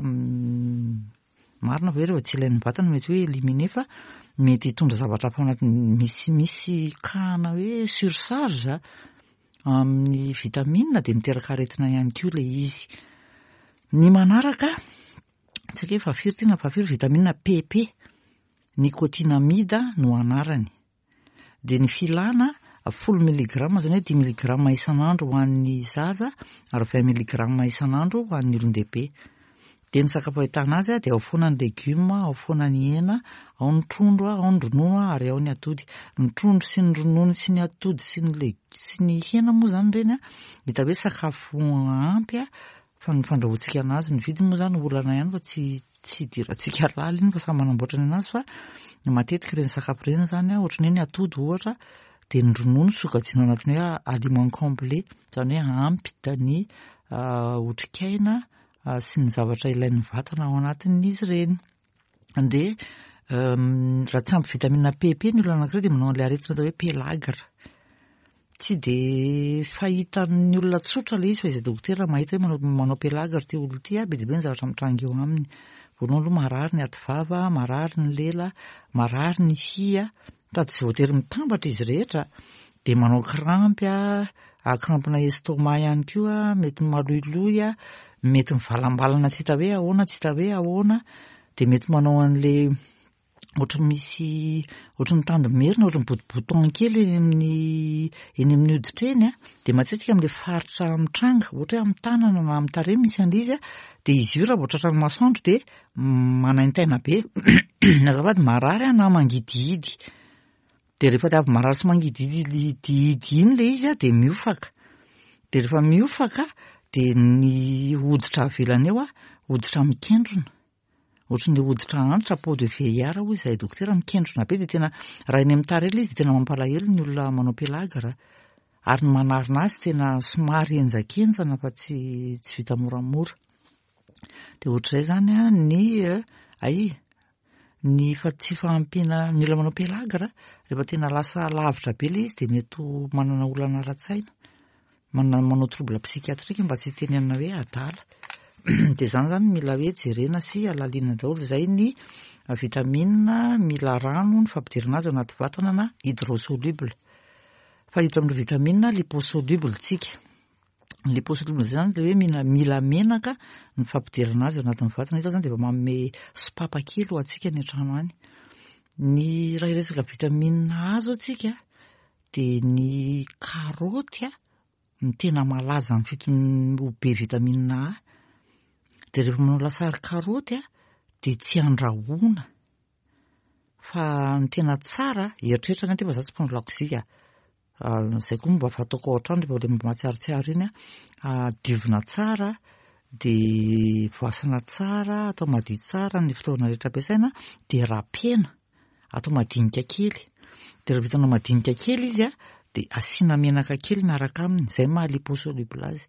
marina ve rehefa tsy ilain'ny vatana mety hoe éliminer fa mety hitondra zavatra hafa ao anatin'ny misy misy cas-na hoe surcharge amin'ny vitamine dia miteraka aretina ihany koa ilay izy. Ny manaraka, tsy haiko hoe fahafiry ity na fahafiry, vitamine PP, nicotinamide no anarany. Dia ny filana folo milligramme izany hoe dimy milligramme isan'andro ho an'ny zaza ary vingt milligramme isan'andro ho an'ny olon-dehibe. Dia ny sakafo ahitana azy dia ao foana ny legioma, ao foana ny hena, ao ny trondro, ao ny ronono ary ao ny atody. Ny trondro sy ny ronono sy ny atody sy ny leg- sy ny hena moa izany ireny hita hoe sakafo ampy fa ny fandrahoantsika anazy, ny vidiny moa izany olana ihany fa tsy tsy idirantsika lalina iny fa samy manamboatra ny anazy fa matetika ireny sakafo ireny izany ohatran'ny hoe ny atody ohatra dia ny ronono sokajiana ao anatin'ny hoe aliment complet, izany hoe ampy ny otrikaina sy ny zavatra ilain'ny vatana ao anatin'izy ireny. Dia raha tsy ampy vitamine PP ny olona anankiray dia manao an'ilay aretina atao hoe pellagre. Tsy dia fahitan'ny olona tsotra ilay izy fa izay dokotera mahita hoe manao manao pellagre ity olona ity, be dia be ny zavatra mitranga eo aminy. Voalohany aloha marary ny aty vava, marary ny lela, marary ny hiha, Sady tsy voatery mitambatra izy rehetra dia manao crampy a, crampena estomac ihany koa, mety maloiloy a, mety mivalambalana tsy hita hoe ahoana tsy hita hoe ahoana, dia mety manao an'le ohatry ny misy ohatry ny tandimerina, ohatry ny bout-bouton kely eny amin'ny eny amin'ny hoditra eny a, dia matetika amin'ilay faritra mitranga, ohatra hoe amin'ny tanana na amin'ny tarehy misy an'ilay izy a, dia izy io raha vao tratran'ny masoandro dia manaintaina be, azafady marary aho na mangidihidy, dia rehefa avy marary sy mangidihidy iny ilay izy dia miofaka, dia rehefa miofaka. Dia ny hoditra avelany eo hoditra mikendrona. Ohatry ny hoditra antitra, peau de vieillard hoy izahay dokotera, mikendrona be dia tena raha eny amin'ny tarehy ilay izy dia tena mampalahelo ny olona manao pelagre. Ary ny manarina azy tena somary henjakenjana fa tsy tsy vita moramora. Dia ohatr'izay izany an, ny ay, ny fa tsy fahampiana ny olona manao pelagre rehefa tena lasa lavitra be ilay izy dia mety ho manana olana ara-tsaina. Manana manao trouble psychiatrique mba tsy hitenenana hoe adala. Dia izany izany mila hoe jerena sy alalinina daholo. Izay ny vitamine mila rano ny fampidirana azy ao anaty vatana na hydrosoluble. Fa hiditra amin'ireo vitamine liposoluble tsika. Ny liposoluble izay izany dia hoe mila mila menaka ny fampidirana azy ao anatin'ny vatana. Eto izany dia efa manome sopapa kely ho antsika any an-trano any. Ny raha hiresaka vitamine A zao tsika Dia ny karaoty no tena malaza amin'ny fitony ho be vitamine A. Dia rehefa manao lasary karaoty dia tsy andrahoina fa ny tena tsara, eritreritra angaha fa za tsy mpanao lakozia ka, izay koa mba fataoko ao an-trano rehefa ilay mba mahatsiarotsiaro iny an, diovina tsara dia voasana tsara, atao madio tsara ny fitaovana rehetra ampiasaina dia rapena. Atao madinika kely. Dia rehefa vitanao madinika kely izy a, dia asiana menaka kely miaraka aminy, izay maha liposoluble azy.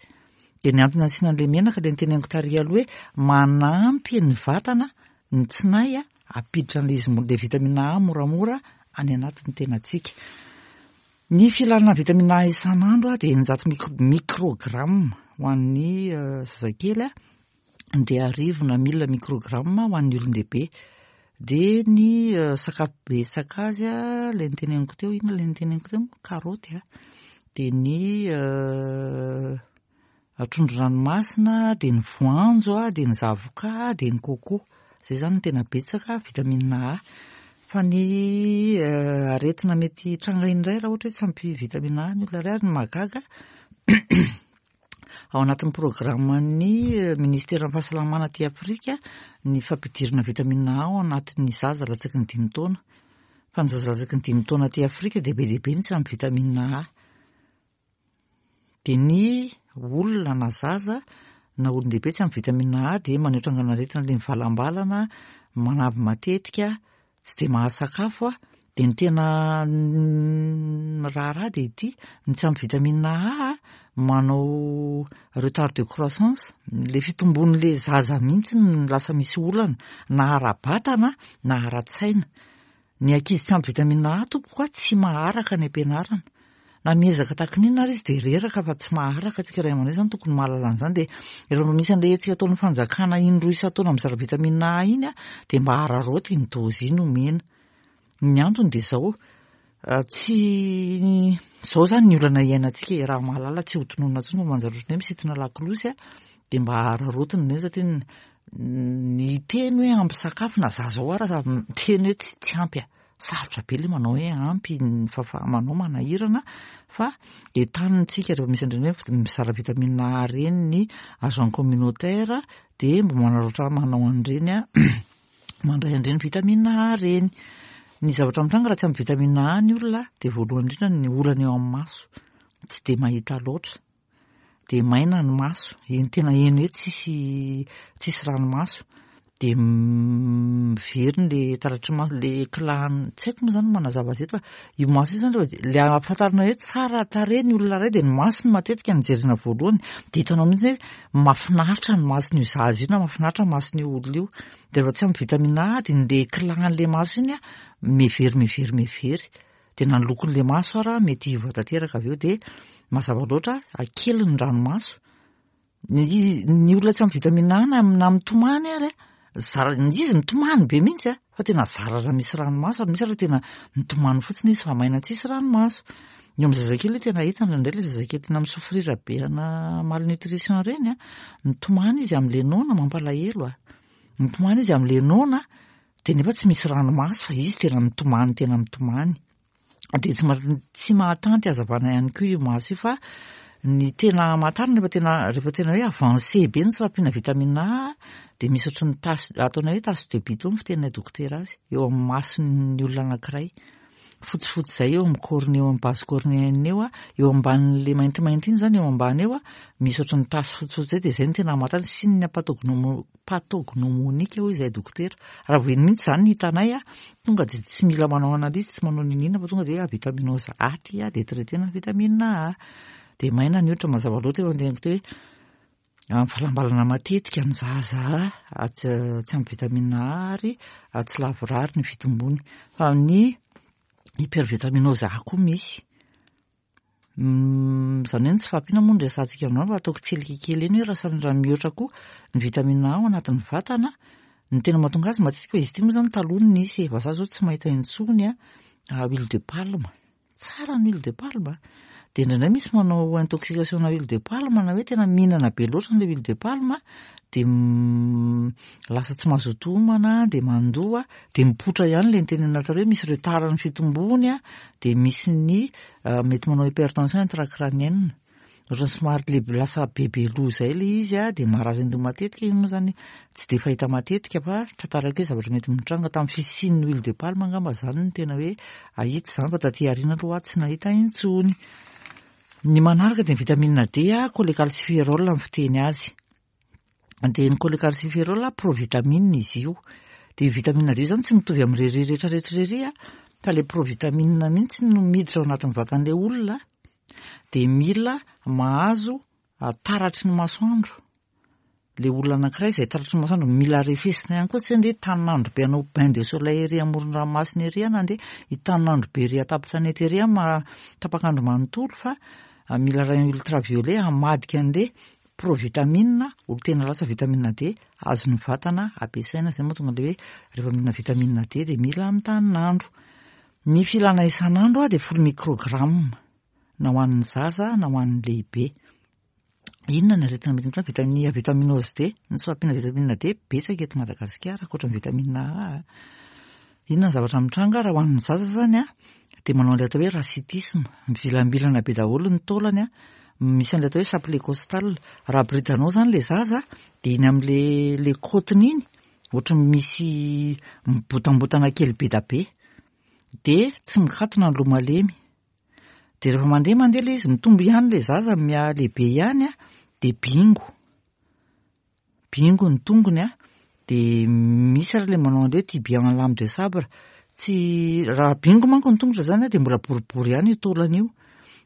Dia ny antony asiana an'ilay menaka dia noteneniko tary aloha hoe manampy ny vatana, ny tsinay a, hampiditra an'ilay izy ilay vitamine A moramora any anatin'ny tenantsika. Ny filana vitamine A isan'andro dia 600 microgramme ho an'ny zazakely a. dia arivo na mille microgramme ho an'ny olon-dehibe. Dia ny sakafo betsaka azy ilay noteneniko teo, inona ilay noteneniko teo moa? Karaoty a. Dia ny trondron-dranomasina, dia ny voanjo, dia ny zavoka, dia ny coco. Izay izany no tena betsaka vitamine A. Fa ny aretina mety hitranga indray raha ohatra hoe tsy ampy vitamine A ny olona iray ary ny mahagaga Ao anatin'ny programan'ny Ministeran'ny Fahasalamana aty Afrika ny fampidirana vitamine A ao anatin'ny zaza latsaky ny dimy taona. Fa ny zaza latsaky ny dimy taona aty Afrika dia be dia be ny tsy ampy vitamine A. Dia ny olona na zaza na olon-dehibe tsy ampy vitamine A dia maneho trangan'aretina ilay mivalambalana, manavy matetika, tsy dia mahasakafo dia ny tena raharaha dia ity, ny tsy ampy vitamine A manao retard de croissance, ilay fitombon'ilay zaza mihitsy no lasa misy olana na ara-batana na ara-tsaina. Ny ankizy tsy ampy vitamine A tompoko a tsy maharaka any am-pianarana. Na miezaka tahaka ny inona ary izy dia reraka fa tsy maharaka, antsika ray aman-dreny izany tokony mahalala an'izany dia rehefa misy an'ilay hetsika ataon'ny fanjakana indroa isan-taona mizara vitamine A iny dia mba araraoty iny dose iny omena. Ny antony dia izao, tsy izao izany ny olana iainantsika e, raha mahalala tsy ho tononina intsony fa manjary ohatran'ny hoe misintona lakolosy dia mba araraotina ireny satria ny teny hoe ampy sakafo na za zao ara miteny hoe tsy ampy a. Sarotra be ilay manao hoe ampy ny fahafaha-manao manahirana fa entanina isika rehefa misy an'ireny hoe mizara vitamine A ireny ny agent communautaire dia mba manararaotra manao an'ireny mandray an'ireny vitamine A ireny. Ny zavatra mitranga raha tsy ampy vitamine A ny olona dia voalohany indrindra ny olana eo amin'ny maso, tsy dia mahita loatra. dia maina ny maso, eny tena heno hoe tsisy tsisy ranomaso, dia miverina le taratry ny maso, le éclat-ny, tsy haiko moa zany ny manazava azy eto fa io maso io zany rehefa le ahafantarana hoe tsara tarehy ny olona iray dia ny masony matetika no jerena voalohany, dia hitanao mihitsy hoe mahafinaritra ny mason'io zaza io na mahafinaritra ny mason'io olona io, dia rehefa tsy ampy vitamine A dia le éclat-n'le maso iny an mivery mivery mivery. Dia na ny lokon'ilay maso ara mety hiova tanteraka avy eo dia mazava loatra kely ny ranomaso. Ny ny olona tsy ampy vitamine A na na mitomany ary a, zara izy mitomany be mihitsy a, fa tena zara raha misy ranomaso ary misy ary tena mitomany fotsiny izy fa maina tsisy ranomaso. Ny eo amin'ny zazakely tena hita indraindray ilay zazakely tena mi-souffrir be ana malnutrition ireny a, mitomany izy amin'ilay noana mampalahelo a, mitomany izy amin'ilay noana Dia nefa tsy misy ranomaso fa izy tena mitomany tena mitomany. Dia tsy tsy mahatanty hazavana ihany koa io maso io fa ny tena hamantarana rehefa tena rehefa tena hoe avancé be ny tsy fahampiana vitamine A dia misy ohatry ny tache ataonay hoe tache de bidon ny fiteninay dokotera azy eo amin'ny mason'ny olona anankiray. fotsifotsy izay eo amin'ny cornée, eo amin'ny base cornéenne eo, eo ambanin'ilay maintimainty iny izany, eo ambany eo, misy ohatran'ny tasy fotsifotsy izay, dia izay no tena hamantarana, signe pathognomonique hoy izahay dokotera. Raha vao iny mihitsy izany no hitanay, tonga dia tsy mila manao analyse, tsy manao n'inon'inona fa tonga dia hoe avitaminose A ity, dia traiter-na vitamine A. Dia maina ny hoditra mazava loatra eo anteniko teo hoe mivalambalana matetika ny zaza tsy ampy vitamine A ary tsy lavorary ny fitombony. Fa ny hypervitaminose A koa misy. Izany hoe ny tsy fahampiana moa no resahantsika androany fa ataoko tselika kely eny hoe raha samy raha mihoatra koa ny vitamine A ao anatin'ny vatana, ny tena mahatonga azy matetika fa izy ity moa izany taloha no nisy e, fa za zao tsy mahita intsony a, huile de palme. Tsara ny huile de palme a! Dia indraindray misy manao intoxication na huile de palme na hoe tena mihinana be loatra an'ilay huile de palme dia lasa tsy mazoto homana dia mandoa dia mipoitra ihany ilay nitenenina taloha hoe misy retard ny fitombony dia misy ny mety manao hypertension intracrânienne. Ohatran'ny somary le lasa bebe loha izay ilay izy a, dia marary an-doha matetika, iny moa izany tsy dia fahita matetika fa tantaraiko hoe zavatra mety mitranga tamin'ny fisian'ny huile de palme angamba izany no tena hoe ahita izany fa taty aoriana aloha aho tsy nahita intsony. Ny manaraka dia ny vitamine D a, cholécalciférol ny fiteny azy. Dia ny cholécalciférol provitamine izy io. Dia io vitamine D io izany tsy mitovy amin'irery rehetrarehetra irery a, fa ilay provitamine mihitsy no miditra ao anatin'ny vatan'ilay olona. dia mila mahazo taratry ny masoandro le olona anankiray izay taratry ny masoandro, mila arefesina ihany koa, tsy hoe ndeha hitanin'andro be hanao bain de soleil ery amoron-dranomasina ery na ndeha hitanin'andro be ery an-tampon-tanety ery tapak'andro manontolo fa mila rayon ultraviolet hamadika an'le provitamine ho tena lasa vitamine D azon'ny vatana ampiasaina, izay mahatonga an'le hoe rehefa mihinana vitamine D dia mila mitanin'andro. Ny filana isan'andro dia folo microgramme na ho an'ny zaza na ho an'ny lehibe. Inona ny aretina mety mitranga? Vitamine, vitaminose D, ny tsy fahampiana vitamine D betsaka eto Madagasikara ankoatra ny vitamine A. Inona ny zavatra mitranga raha ho an'ny zaza izany dia manao an'ilay atao hoe rachitisme, mivilambilana be daholo ny taolany, misy an'ilay atao hoe chapelet costal. Raha aboridanao izany ilay zaza dia iny amin'ilay ilay côte-ny iny Ohatran'ny misy mibotambotana kely be da be. Dia tsy mikatona ny loha malemy. Dia rehefa mandeha mandeha ilay izy, mitombo ihany ilay zaza, mihalehibe ihany an, dia bingo. Bingo ny tongony an, dia misy ary ilay manao an'ilay hoe tibia en lame de sabre. Tsy, raha bingo manko ny tongotra izany an, dia mbola boribory ihany io taolana io.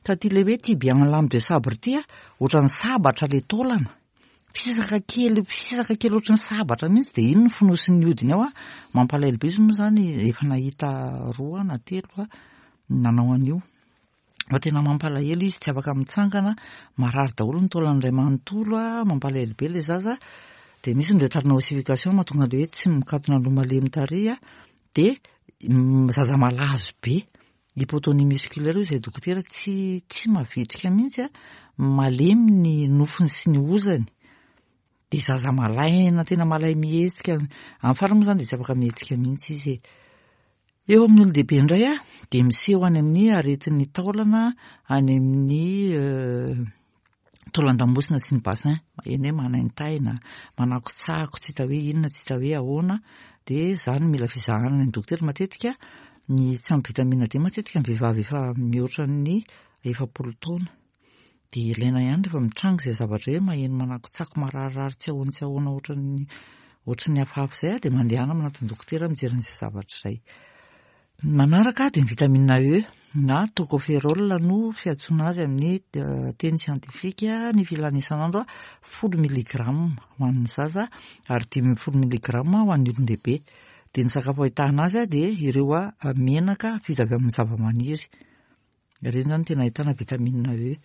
Fa ity ilay hoe tibia en lame de sabre ity an, ohatran'ny sabatra ilay taolana. Fisaka kely, fisaka kely ohatran'ny sabatra mihitsy dia iny no fonosin'ny hodiny ao an, mampalahelo be izy moa izany efa nahita roa na telo aho nanao an'io. Fa tena mampalahelo izy tsy afaka mitsangana, marary daholo ny taolany iray manontolo an, mampalahelo be ilay zaza. Dia misy ny retard-na ossification mahatonga an'ilay hoe tsy mikatona loha malemy tarehy an, dia zaza malazo be. Hypotonie musculaire hoy izay dokotera, tsy tsy mavitrika mihitsy a, malemy ny nofony sy ny hozany, dia zaza malaina, tena malay mihetsika, amin'ny farany moa izany dia tsy afaka mihetsika mihitsy izy e. Eo amin'ny olon-dehibe indray a, dia miseho any amin'ny aretin'ny taolana, any amin'ny taolan-damosina sy ny bassin, eny hoe manaintaina, manakotsako, tsy hita hoe inona, tsy hita hoe ahoana, dia izany mila fizahana any amin'ny dokotera matetika, ny tsy ampy vitamine D matetika ny vehivavy efa mihoatra ny 40 taona, dia ilaina ihany rehefa mitranga izay zavatra hoe maheno manakotsako mararirary tsy ahoana tsy ahoana ohatran'ny ohatran'ny hafahafa izay dia mandehana manatona dokotera mijery an'izay zavatra izay. Ny manaraka dia ny vitamine E na tocopherol no fiantsoana azy amin'ny teny siantifika, ny filana isan'andro 10 milligramme ho an'ny zaza ary 15 milligramme ho an'ny olon-dehibe. Dia ny sakafo ahitana azy dia ireo menaka vita avy amin'ny zavamaniry. Ireny izany tena ahitana vitamine E.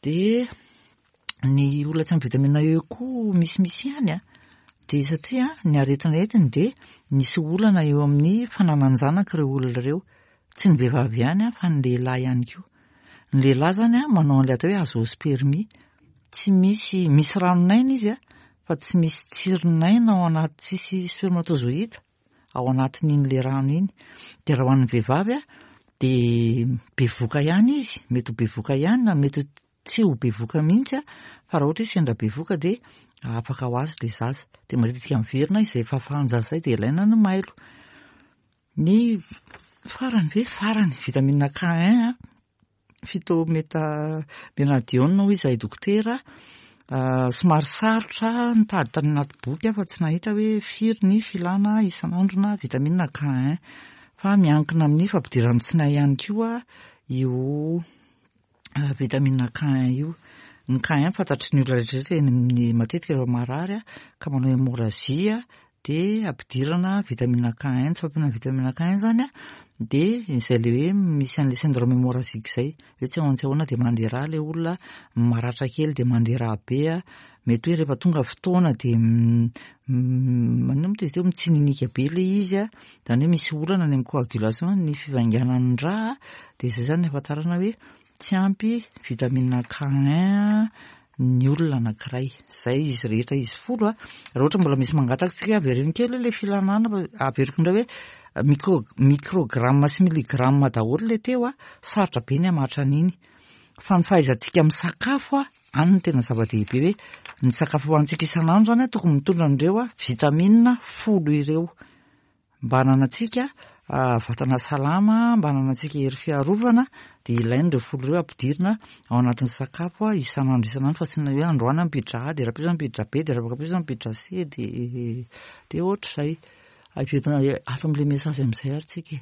Dia ny olona tsy ampy vitamine E koa misimisy ihany an, dia satria ny aretina entiny dia misy olana eo amin'ny fananan-janaka ireo olona ireo. Tsy ny vehivavy ihany an, fa ny lehilahy ihany koa. Ny lehilahy izany an, manao an'ilay atao hoe azoospermie. Tsy misy, misy ranon'aina izy an, fa tsy misy tsirin'aina ao anaty, tsisy spermatozoïde. ao anatin'iny le rano iny. Dia raha ho an'ny vehivavy a, dia bevoka ihany izy, mety ho bevoka ihany na mety tsy ho bevoka mihitsy a, fa raha ohatra izy sendra bevoka dia afaka ho azy le zaza. Dia matetika miverina izay fahafahan-jaza izay dia ilaina ny mailo. Ny Farany ve? Farany, vitamine K1 a, phytométa-ménadione hoy izahay dokotera, somary sarotra nitady tany anaty boky aho fa tsy nahita hoe firy ny filana isan'andro-na vitamine K1 fa miankina amin'ny fampidiran'ny tsinay ihany koa io vitamine K1 io. Ny K1 fantatry ny olona rehetra rehetra eny amin'ny matetika rehefa marary ka manao hémorragie dia ampidirana vitamine K1, tsy fahampiana vitamine K1 izany dia izay ilay hoe misy an'ilay syndrome hémorragique izay, hoe tsy ahoana tsy ahoana dia mandeha rà ilay olona, maratra kely dia mandeha rà be, mety hoe rehefa tonga fotoana dia maninona moa izy teo, mitsininika be ilay izy, izany hoe misy olana any amin'ny coagulation, ny fivainganan'ny rà, dia izay izany no ahafantarana hoe tsy ampy vitamine K1 ny olona anankiray. Izay izy rehetra izy folo a. Raha ohatra mbola misy mangataka tsika avereno kely ilay filanana fa averiko indray hoe micro microgramme sy milligramme daholo ilay teo a, sarotra be ny hamatra an'iny. Fa ny fahaizantsika misakafo a, any no tena zava-dehibe hoe ny sakafo hohanintsika isan'andro izany a tokony mitondra an'ireo vitamine folo ireo. Mba hananantsika vatana salama, mba hananantsika hery fiarovana dia ilaina ireo folo ireo ampidirina ao anatin'ny sakafo isan'andro isan'andro fa tsy ny hoe androany ampiditra A dia rahampitso ampiditra B dia rahampitso ampiditra C dia dia ohatr'izay. Averina ato amin'ilay message amin'izay ary tsika e.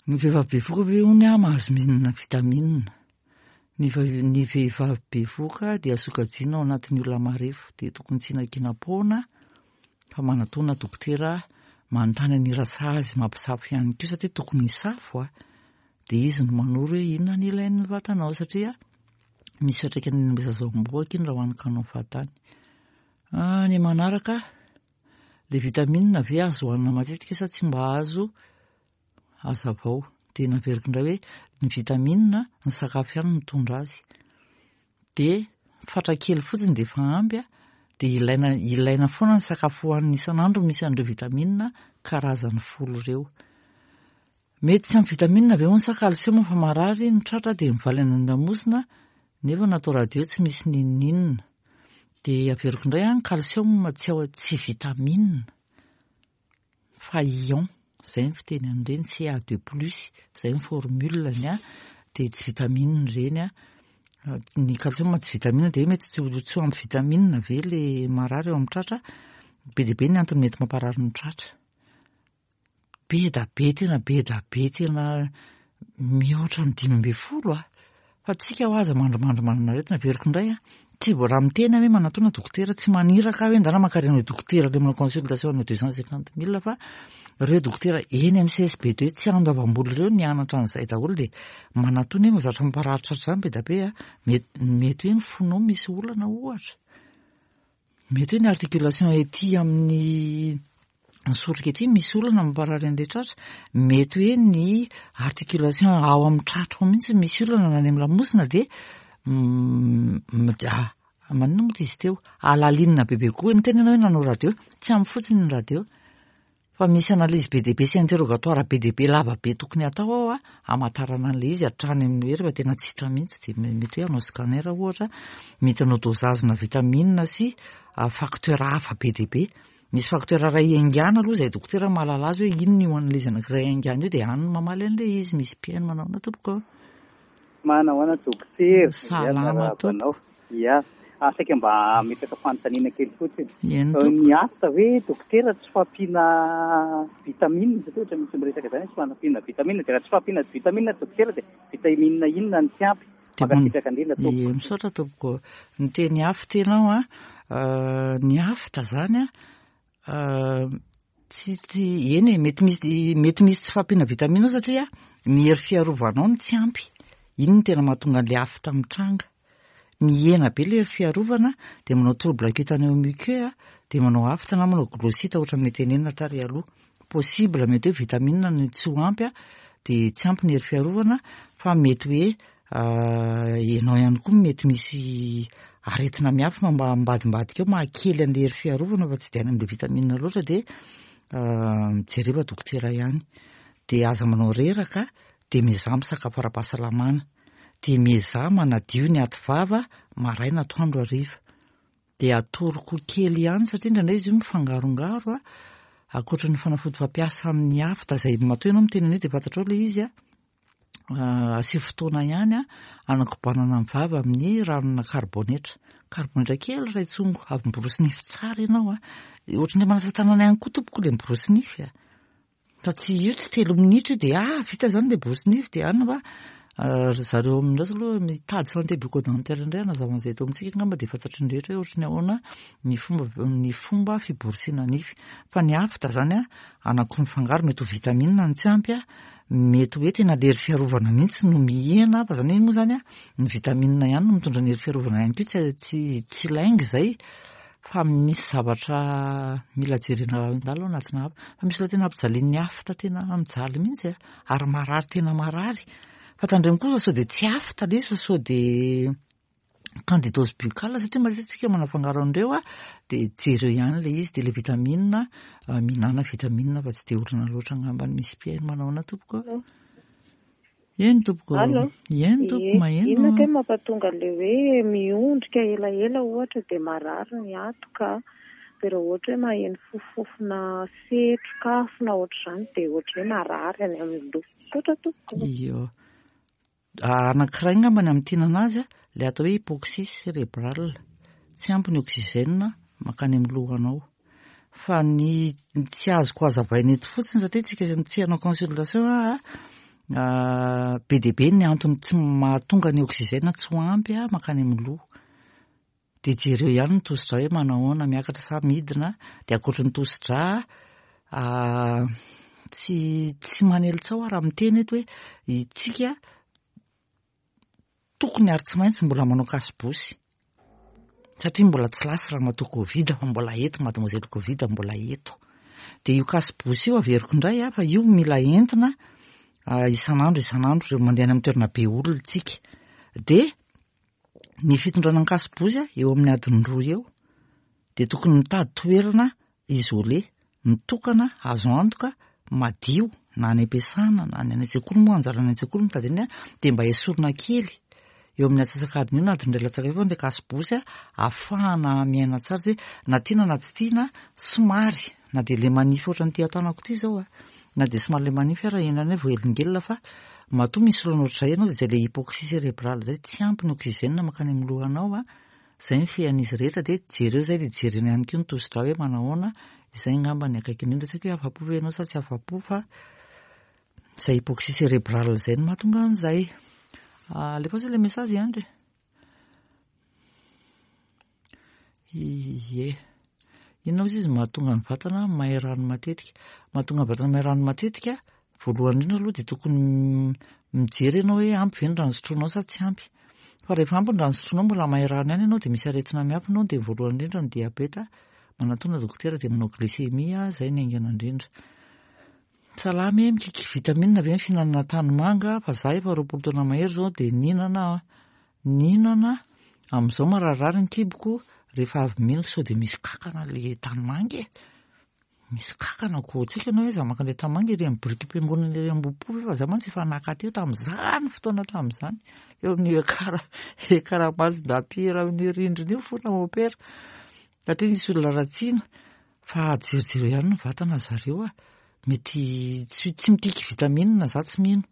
Ny vehivavy bevohoka ve hono aho mahazo mihinana vitamine? Ny ny vehivavy bevohoka dia sokajiana ao anatin'ny olona marefo dia tokony tsy hinakinam-poana fa manatona dokotera manontany an'i Rasazy mampisafo ihany koa satria tokony hisafo a, dia izy no manoro hoe inona ny ilain'ny vatanao satria misy fiantraikany any amin'ny zazambohoka iny raha hohanin-kanao fahatany. Ah, ny manaraka, le vitamine ve azo hohanina matetika sa tsy mba azo Hazavao. Dia naveriko indray hoe ny vitamine, ny sakafo ihany no mitondra azy. Dia fatra kely fotsiny dia efa ampy an, dia ilaina ilaina foana ny sakafo hohanina isan'andro misy an'ireo vitamine karazany folo ireo. Mety tsy ampy vitamine ve hono sa calcium fa marary ny tratra dia mivaly any an-damosina nefa natao radio tsy misy n'inon'inona. Dia averiko indray an, calcium tsy ao tsy vitamine. fa ion, zay ny fiteny an'ireny, Ca deux plus, zay ny formule-ny an, dia tsy vitamine ireny an, ny calcium tsy vitamine dia mety tsy ho tsy ho ampy vitamine ve le marary eo amin'ny tratra, be dia be ny antony mety mamparary ny tratra, be da be tena be da be tena mihoatra ny 15 a! Fa tsika hoa aza mandrimandry manana aretina, averiko indray a, tsy vao raha miteny aho hoe manatona dokotera, tsy maniraka aho hoe ndana mankarena eo dokotera le manao consultation any 250 mille fa ireo dokotera eny amin'ny CSB deux tsy andoavam-bola ireo nianatra an'izay daholo dia manatona eny fa zavatra mamparary tratra izany be dia be a, mety mety hoe ny fonao misy olana ohatra. Mety hoe ny articulation ety amin'ny ny soroka ety misy olana mamparary an'ilay tratra, mety hoe ny articulation ao amin'ny tratra ao mihitsy misy olana na any amin'ny lamosina dia maninona moa izy teo, alalinina bebe kokoa, niteny ianao hoe nanao radio, tsy ampy fotsiny ny radio. Fa misy analyse be dia be sy interrogatoire be dia be lava be tokony hatao ao a, hamantarana an'ilay izy hatrany amin'ny hoe rehefa tena tsy hita mihitsy dia mety hoe hanao scanner ohatra, mety hanao dosage-na vitamine sy facteur hafa be dia be. Misy facteur iray iaingàna aloha izay dokotera mahalala azy hoe inona io analyse anankiray iaingàna io dia any no mamaly an'ilay izy. Misy mpihaino manao ahoana tompoko? Manahoana dokotera? Salama tompoko. Ia. Ah, saika mba hametraka fanontaniana kely fotsiny. Eny tompoko. Ny aft ve dokotera tsy fahampiana vitamine satria ohatra misy miresaka izany hoe tsy fahampiana vitamine dia raha tsy fahampiana vitamine dokotera dia vitamine inona no tsy ampy? Mankasitraka indrindra tompoko. Ie, misaotra tompoko. Ny teny aft ianao an, ny aft izany an, tsy tsy eny e, mety misy mety misy tsy fahampiana vitamine ao satria ny hery fiarovanao no tsy ampy. Iny no tena mahatonga an'ilay aft mitranga. Mihena be ilay hery fiarovana dia manao trouble cutané muqueux dia manao aphte na manao glossite ohatran'ny tenenina tary aloha. Possible mety hoe vitamine no tsy ho ampy dia tsy ampy ny hery fiarovana fa mety hoe ianao ihany koa mety misy aretina miafina mba ambadimbadika eo mahakely an'ilay hery fiarovana fa tsy dia any amin'ilay vitamine loatra dia mijereva dokotera ihany. Dia aza manao reraka dia miezaha misakafo ara-pahasalamana. Dia miezaha manadio ny aty vava maraina atoandro hariva. Dia atoroko kely ihany satria indraindray izy io mifangarongaro a. Ankoatry ny fanafody fampiasa amin'ny afta izay matoa ianao miteny an'io dia fantatrao ilay izy a. Asio fotoana ihany hanakobanana ny vava amin'ny ranona karibonetra. Karibonetra kely iray tsongo, avy miborosy nify tsara ianao a. Ohatran'ny manasa tanana ihany koa tompoko ilay miborosy nify a. Fa tsy io tsy telo minitra io dia ah vita izany ilay borosy nify dia any fa ry zareo amin'ireo aloha mitady santé bucco-dentaire indray hanazava an'izay eto amintsika angamba dia fantatry ny rehetra hoe ohatry ny ahoana ny fomba ny fomba fiborosiana nify. Fa ny afta izany a, anankiroa mifangaro mety ho vitamine no tsy ampy a, mety hoe tena lery fiarovana mihitsy no mihena fa izany hoe moa izany a, ny vitamine ihany no mitondra ny hery fiarovana ihany koa tsy tsy tsy lainga izay fa misy zavatra mila jerena lalindalina ao anatina hafa. Fa misy olona tena ampijalian'ny afta tena mijaly mihitsy a, ary marary tena marary. Fa tandremo koa fa sao dia tsy afta ilay izy fa sao dia candidose buccale satria matetika tsika manafangaro an'ireo a, dia jereo ihany ilay izy, dia ilay vitamine, mihinàna vitamine fa tsy dia olana loatra angamba ny misy mpihaino. Manao ahoana tompoko? Eny tompoko. Allo. Eny tompoko, Ie. maheno. Inona kay mampatonga le hoe miondrika elaela ohatra dia marary ny hatoka dia raha ohatra hoe maheno fofofofona setroka afo na ohatr'izany dia ohatran'ny hoe marary any amin'ny loha. Misaotra tompoko. Iyo. Anankiray angamba ny amintinana azy, ilay atao hoe hypoxie cérébrale. Tsy ampy ny oxygène mankany amin'ny lohanao. Fa ny tsy azoko hazavaina eto fotsiny satria tsika tsy hanao consultation aho, be dia be ny antony tsy mahatonga ny oxygène tsy ho ampy mankany amin'ny loha. Dia jereo ihany ny tosidra hoe manao ahoana, miakatra sa midina, dia ankoatry ny tosidra, tsy tsy manely tsaho aho raha miteny eto hoe isika tokony ary tsy maintsy mbola manao kasibosy satria mbola tsy lasa ramatoa Covid fa mbola eto mademoiselle Covid mbola eto. Dia io kasibosy io averiko indray fa io mila entina isan'andro isan'andro rehefa mandeha any amin'ny toerana be olona isika. Dia ny fitondrana ny kasibosy eo amin'ny adiny roa eo dia tokony mitady toerana isolé, mitokana, azo antoka, madio na any am-piasana na any an-tsekoly moa anjara any an-tsekoly mitady an'iny dia mba esorina kely eo amin'ny antsasak'adiny eo na adiny iray latsaka eo ilay kasibosy ahafahana miaina tsara satria na tiana na tsy tiana somary na dia ilay manify ohatran'ity tanako ity izao a, na dia somary ilay manify ara eny ihany voahelingelina fa matoa misy olana ohatr'izay ianao dia izay ilay hypoxie cérébrale izay, tsy ampy ny oxygène mankany amin'ny lohanao a. Izay ny fean'izy rehetra dia jereo izay dia jerena ihany koa ny tosidra hoe manahoana, izay angamba ny akaiky indrindra, tsy haiko hoe afa-po ve ianao sa tsy afa-po fa izay hypoxie cérébrale izay no mahatonga an'izay. Alefaso ilay message ihany re. Ie. Inona ozy izy mahatonga ny vatana may rano matetika? Mahatonga ny vatana may rano matetika, voalohany indrindra aloha dia tokony mijery ianao hoe ampy ve ny rano sotroinao sa tsy ampy. Fa rehefa ampy ny rano sotroinao mbola may rano ihany ianao dia misy aretina miafina ao dia voalohany indrindra ny diabeta, manatona dokotera dia manao glycémie, izay ny haingana indrindra. Salama e, mikiky vitamine ve ny fihinanana tanimanga fa za efa 20 taona mahery izao dia nihinana aho. Nihinana, amin'izao mararirary ny kiboko rehefa avy mihinana sao dia misy kankana le tanimanga e. Misy kankana ko tsika ianao hoe za maka an'ilay tanimanga ery amin'ny birikim-piangonana ery Ambohipo ve fa za mantsy efa naka teo tamin'izany fotoana tamin'izany eo amin'ny ekara ekara Masindapiera amin'ny rindrina io fona mopera satria nisy olona ratsiana fa jerijereo ihany ny vatana zareo a mety tsy tsy mikiky vitamine za tsy mino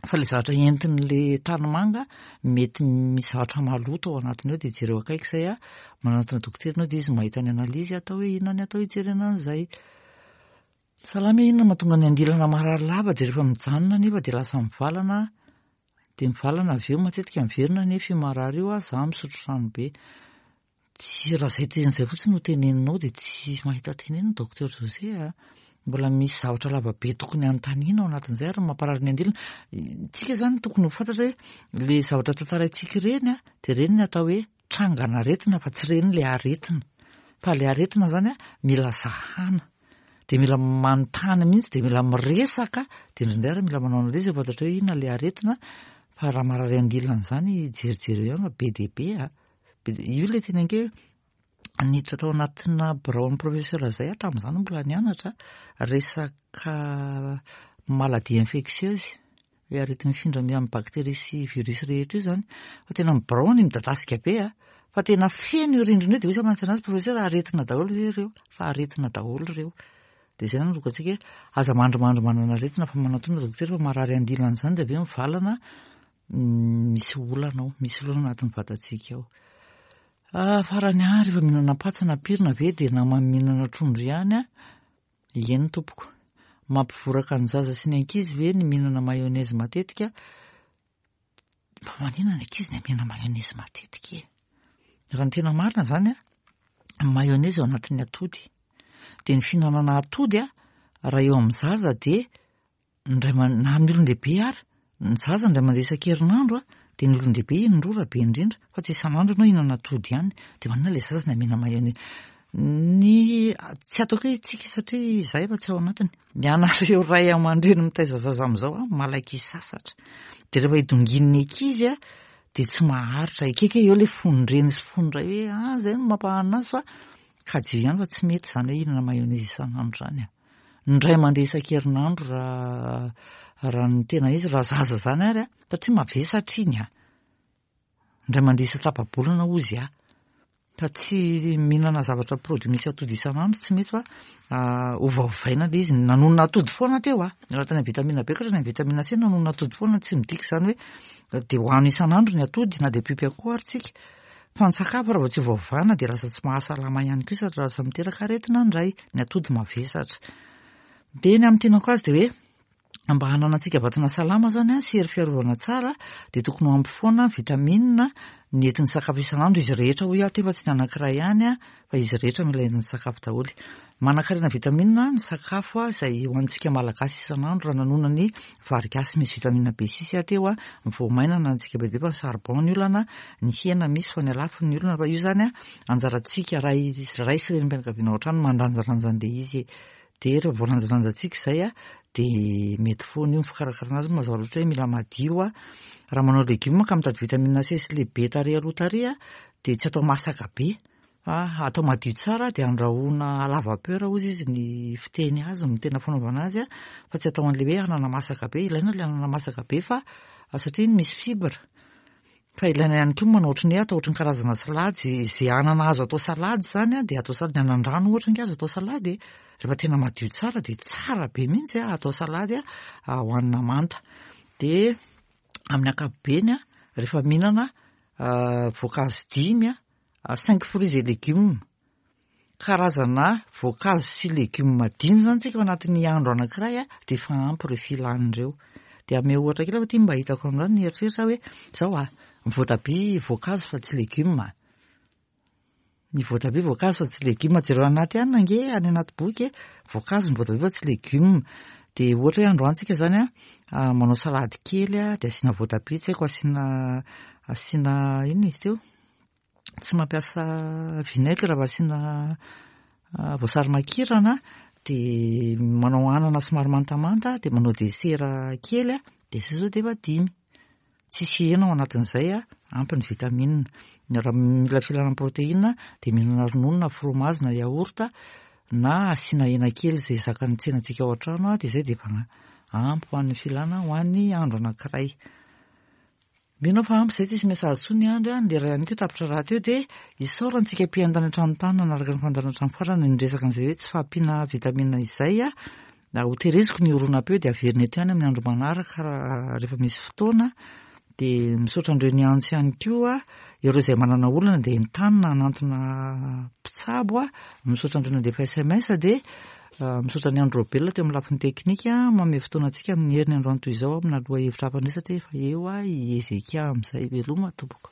Fa ilay zavatra entin'ilay tanimanga mety misy zavatra maloto ao anatiny ao dia jereo akaiky izay a, manantona dokotera ianao dia izy mahita ny analyse atao hoe inona ny atao hijerena an'izay. Salama e, inona mahatonga ny andilana marary lava dia rehefa mijanona nefa dia lasa mivalana dia mivalana avy eo matetika miverina nefa io marary io a, za misotro rano be. Tsy raha izay teny izay fotsiny no teneninao dia tsy mahita tenenina Docteur José a. Mbola misy zavatra lava be tokony hanontaniana ao anatin'izay ary mamparary ny andilana. Tsika izany tokony ho fantatra hoe le zavatra tantaraintsika ireny a, dia ireny ny atao hoe trangan'aretina fa tsy ireny le aretina. Fa le aretina izany a, mila zahana. Dia mila manontany mihitsy, dia mila miresaka, dia indraindray ary mila manao analyse fantatra hoe inona le aretina. Fa raha marary andilana izany jerijereo ihany fa be dia be a. Io ilay teny ange niditra tao anatina biraon'ny professeur izay aho tamin'izany mbola nianatra, resaka maladie infectieuse, ilay areti-mifindra amin'ny bactérie sy virus rehetra io izany. Fa tena ny biraony midadasika be a, fa tena feno io rindrina io dia hoy aho mantsy anazy professeur aretina daholo ve ireo? Fa aretina daholo ireo. Dia izay no antsika hoe aza mandrimandry manana aretina fa manatona dokotera fa marary andilana izany dia avy eo mivalana misy olana ao, misy olana anatin'ny vatantsika ao. Ah, farany ahy rehefa mihinana patsa na pirina ve dia naman'ny mihinana trondro ihany ah? Eny tompoko. Mampivoraka ny zaza sy ny ankizy ve ny mihinana mayonnaise matetika? Fa maninona ny ankizy ny mihinana mayonnaise matetika e? Raha ny tena marina izany a, ny mayonnaise ao anatin'ny atody. Dia ny fihinanana atody a, raha eo amin'ny zaza dia indray na amin'ny olon-dehibe ary, ny zaza indray mandeha isan-kerinandro a, dia ny olon-dehibe indroa raha be indrindra, fa tsy isan'andro ianao hihinana atody ihany. Dia maninona ilay zaza no amena mayonnaise? Ny tsy ataoko hoe tsika satria izahay efa tsy ao anatiny. Ny anareo ray aman-dreny mitaiza zaza amin'izao a, malaky hisasatra. Dia rehefa idongin'ny ankizy a, dia tsy maharitra. Ekeko hoe eo ilay fon-dreny sy fon-dray hoe ah izay no mampahanina azy fa kajio ihany fa tsy mety izany hoe hihinana mayonnaise isan'andro izany a. Indray mandeha isan-kerinandro raha raha ny tena izy, raha zaza izany ary a, satria mavesatra iny a. Indray mandeha isan-tapa-bolana hozy aho. Fa tsy mihinana zavatra produit misy atody isan'andro tsy mety fa ovaovaina ilay izy. Nanonona atody foana teo aho. Raha tany amin'ny vitamine B ka hatrany amin'ny vitamine C nanonona atody foana tsy midika izany hoe dia hohano isan'andro ny atody na dia mpiompy akoho ary tsika. Fa ny sakafo raha vao tsy ovaovana dia lasa tsy mahasalama ihany koa sady lasa miteraka aretina indray ny atody mavesatra. Dia ny amin'ny tianako azy dia hoe mba hananantsika vatana salama zany an, sy hery fiarovana tsara dia tokony ho ampy foana vitamine ny entin'ny sakafo isan'andro izy rehetra hoy aho teo fa tsy ny anankiray ihany an, fa izy rehetra mila entin'ny sakafo daholo. Manankarena vitamine ny sakafo izay hohanintsika malagasy isan'andro raha nanona ny vary gasy misy vitamine B6 aho teo an, ny voamaina ananantsika be dia be fa ny charbon ny olana, ny hena misy fa ny halafo ny olana fa io zany an anjarantsika ray ray sy renim-pianakaviana ao an-trano mandanjalanja an'ilay izy e. Dia rehefa voalanjalanjantsika izay a, dia mety foana io ny fikarakarana azy, mazava loatra hoe mila madio a. Raha manao legioma ka mitady vitamine C sy le B tary aloha tary a, dia tsy atao masaka be fa atao madio tsara dia andrahoina à la vapeur hozy izy ny fiteny azy, ny tena fanaovana azy a, fa tsy atao an'ilay hoe anana masaka be, ilaina ilay anana masaka be fa satria iny misy fibre. Fa ilaina ihany koa ny manao ohatran'ny hoe atao ohatran'ny karazana salady, izay anana azo atao salady izany an, dia atao salady, ny anan-drano ohatra ange azo atao salady e, rehefa tena madio tsara dia tsara be mihitsy an, atao salady an, hohanina manta. Dia amin'ny ankapobeny an, rehefa mihinana voankazo dimy an, cinq fruits et légumes, Karazana voankazo sy legioma dimy izany tsika ao anatin'ny andro anankiray dia efa ampy ireo filana ireo. Dia ameo ohatra kely fa ity mba hitako androany nieritreritra hoe izao ah, ny voatabia voankazo fa tsy legioma. Ny voatabia voankazo fa tsy legioma. Jereo anaty ihany ange any anaty boky e, voankazo ny voatabia fa tsy legioma. Dia ohatra hoe androany tsika izany ah, manao salady kely ah, dia asiana voatabia, tsy haiko asiana asiana inona izy teo? tsy mampiasa vinaigre fa asiana voasary makirana dia manao anana somary mantamanta dia manao dessert kely dia izay izao dia efa dimy. Tsisy hena ao anatin'izay, ampy ny vitamine. Raha mila filana protéine dia mihinana ronono na fromage na yaourt na asiana hena kely izay zakan'ny tsenantsika ao an-trano dia izay dia efa ampy ho an'ny filana ho an'ny andro anankiray. Mino aho fa ampy izay tsisy message intsony Andry a, ny lera ihany koa tapitra rahateo dia isaorana antsika mpihaino tany an-trano tany nanaraka ny fandaharana hatramin'ny farany niresaka an'izay hoe tsy fahampiana vitamine izay a, ho tereziko ny horonam-peo dia averina eto ihany amin'ny andro manaraka raha rehefa misy fotoana dia misaotra an'ireo niantso ihany koa ireo izay manana olana dia entanina hanantona mpitsabo a, misaotra an'ireo nandefa sms dia Misaotra an'i Andry Raobelina teo amin'ny lafiny teknika manome fotoana antsika amin'ny heriny androany toy izao amina lohahevitra hafa indray satria efa eo i Hezekia amin'izay. Veloma tompoko.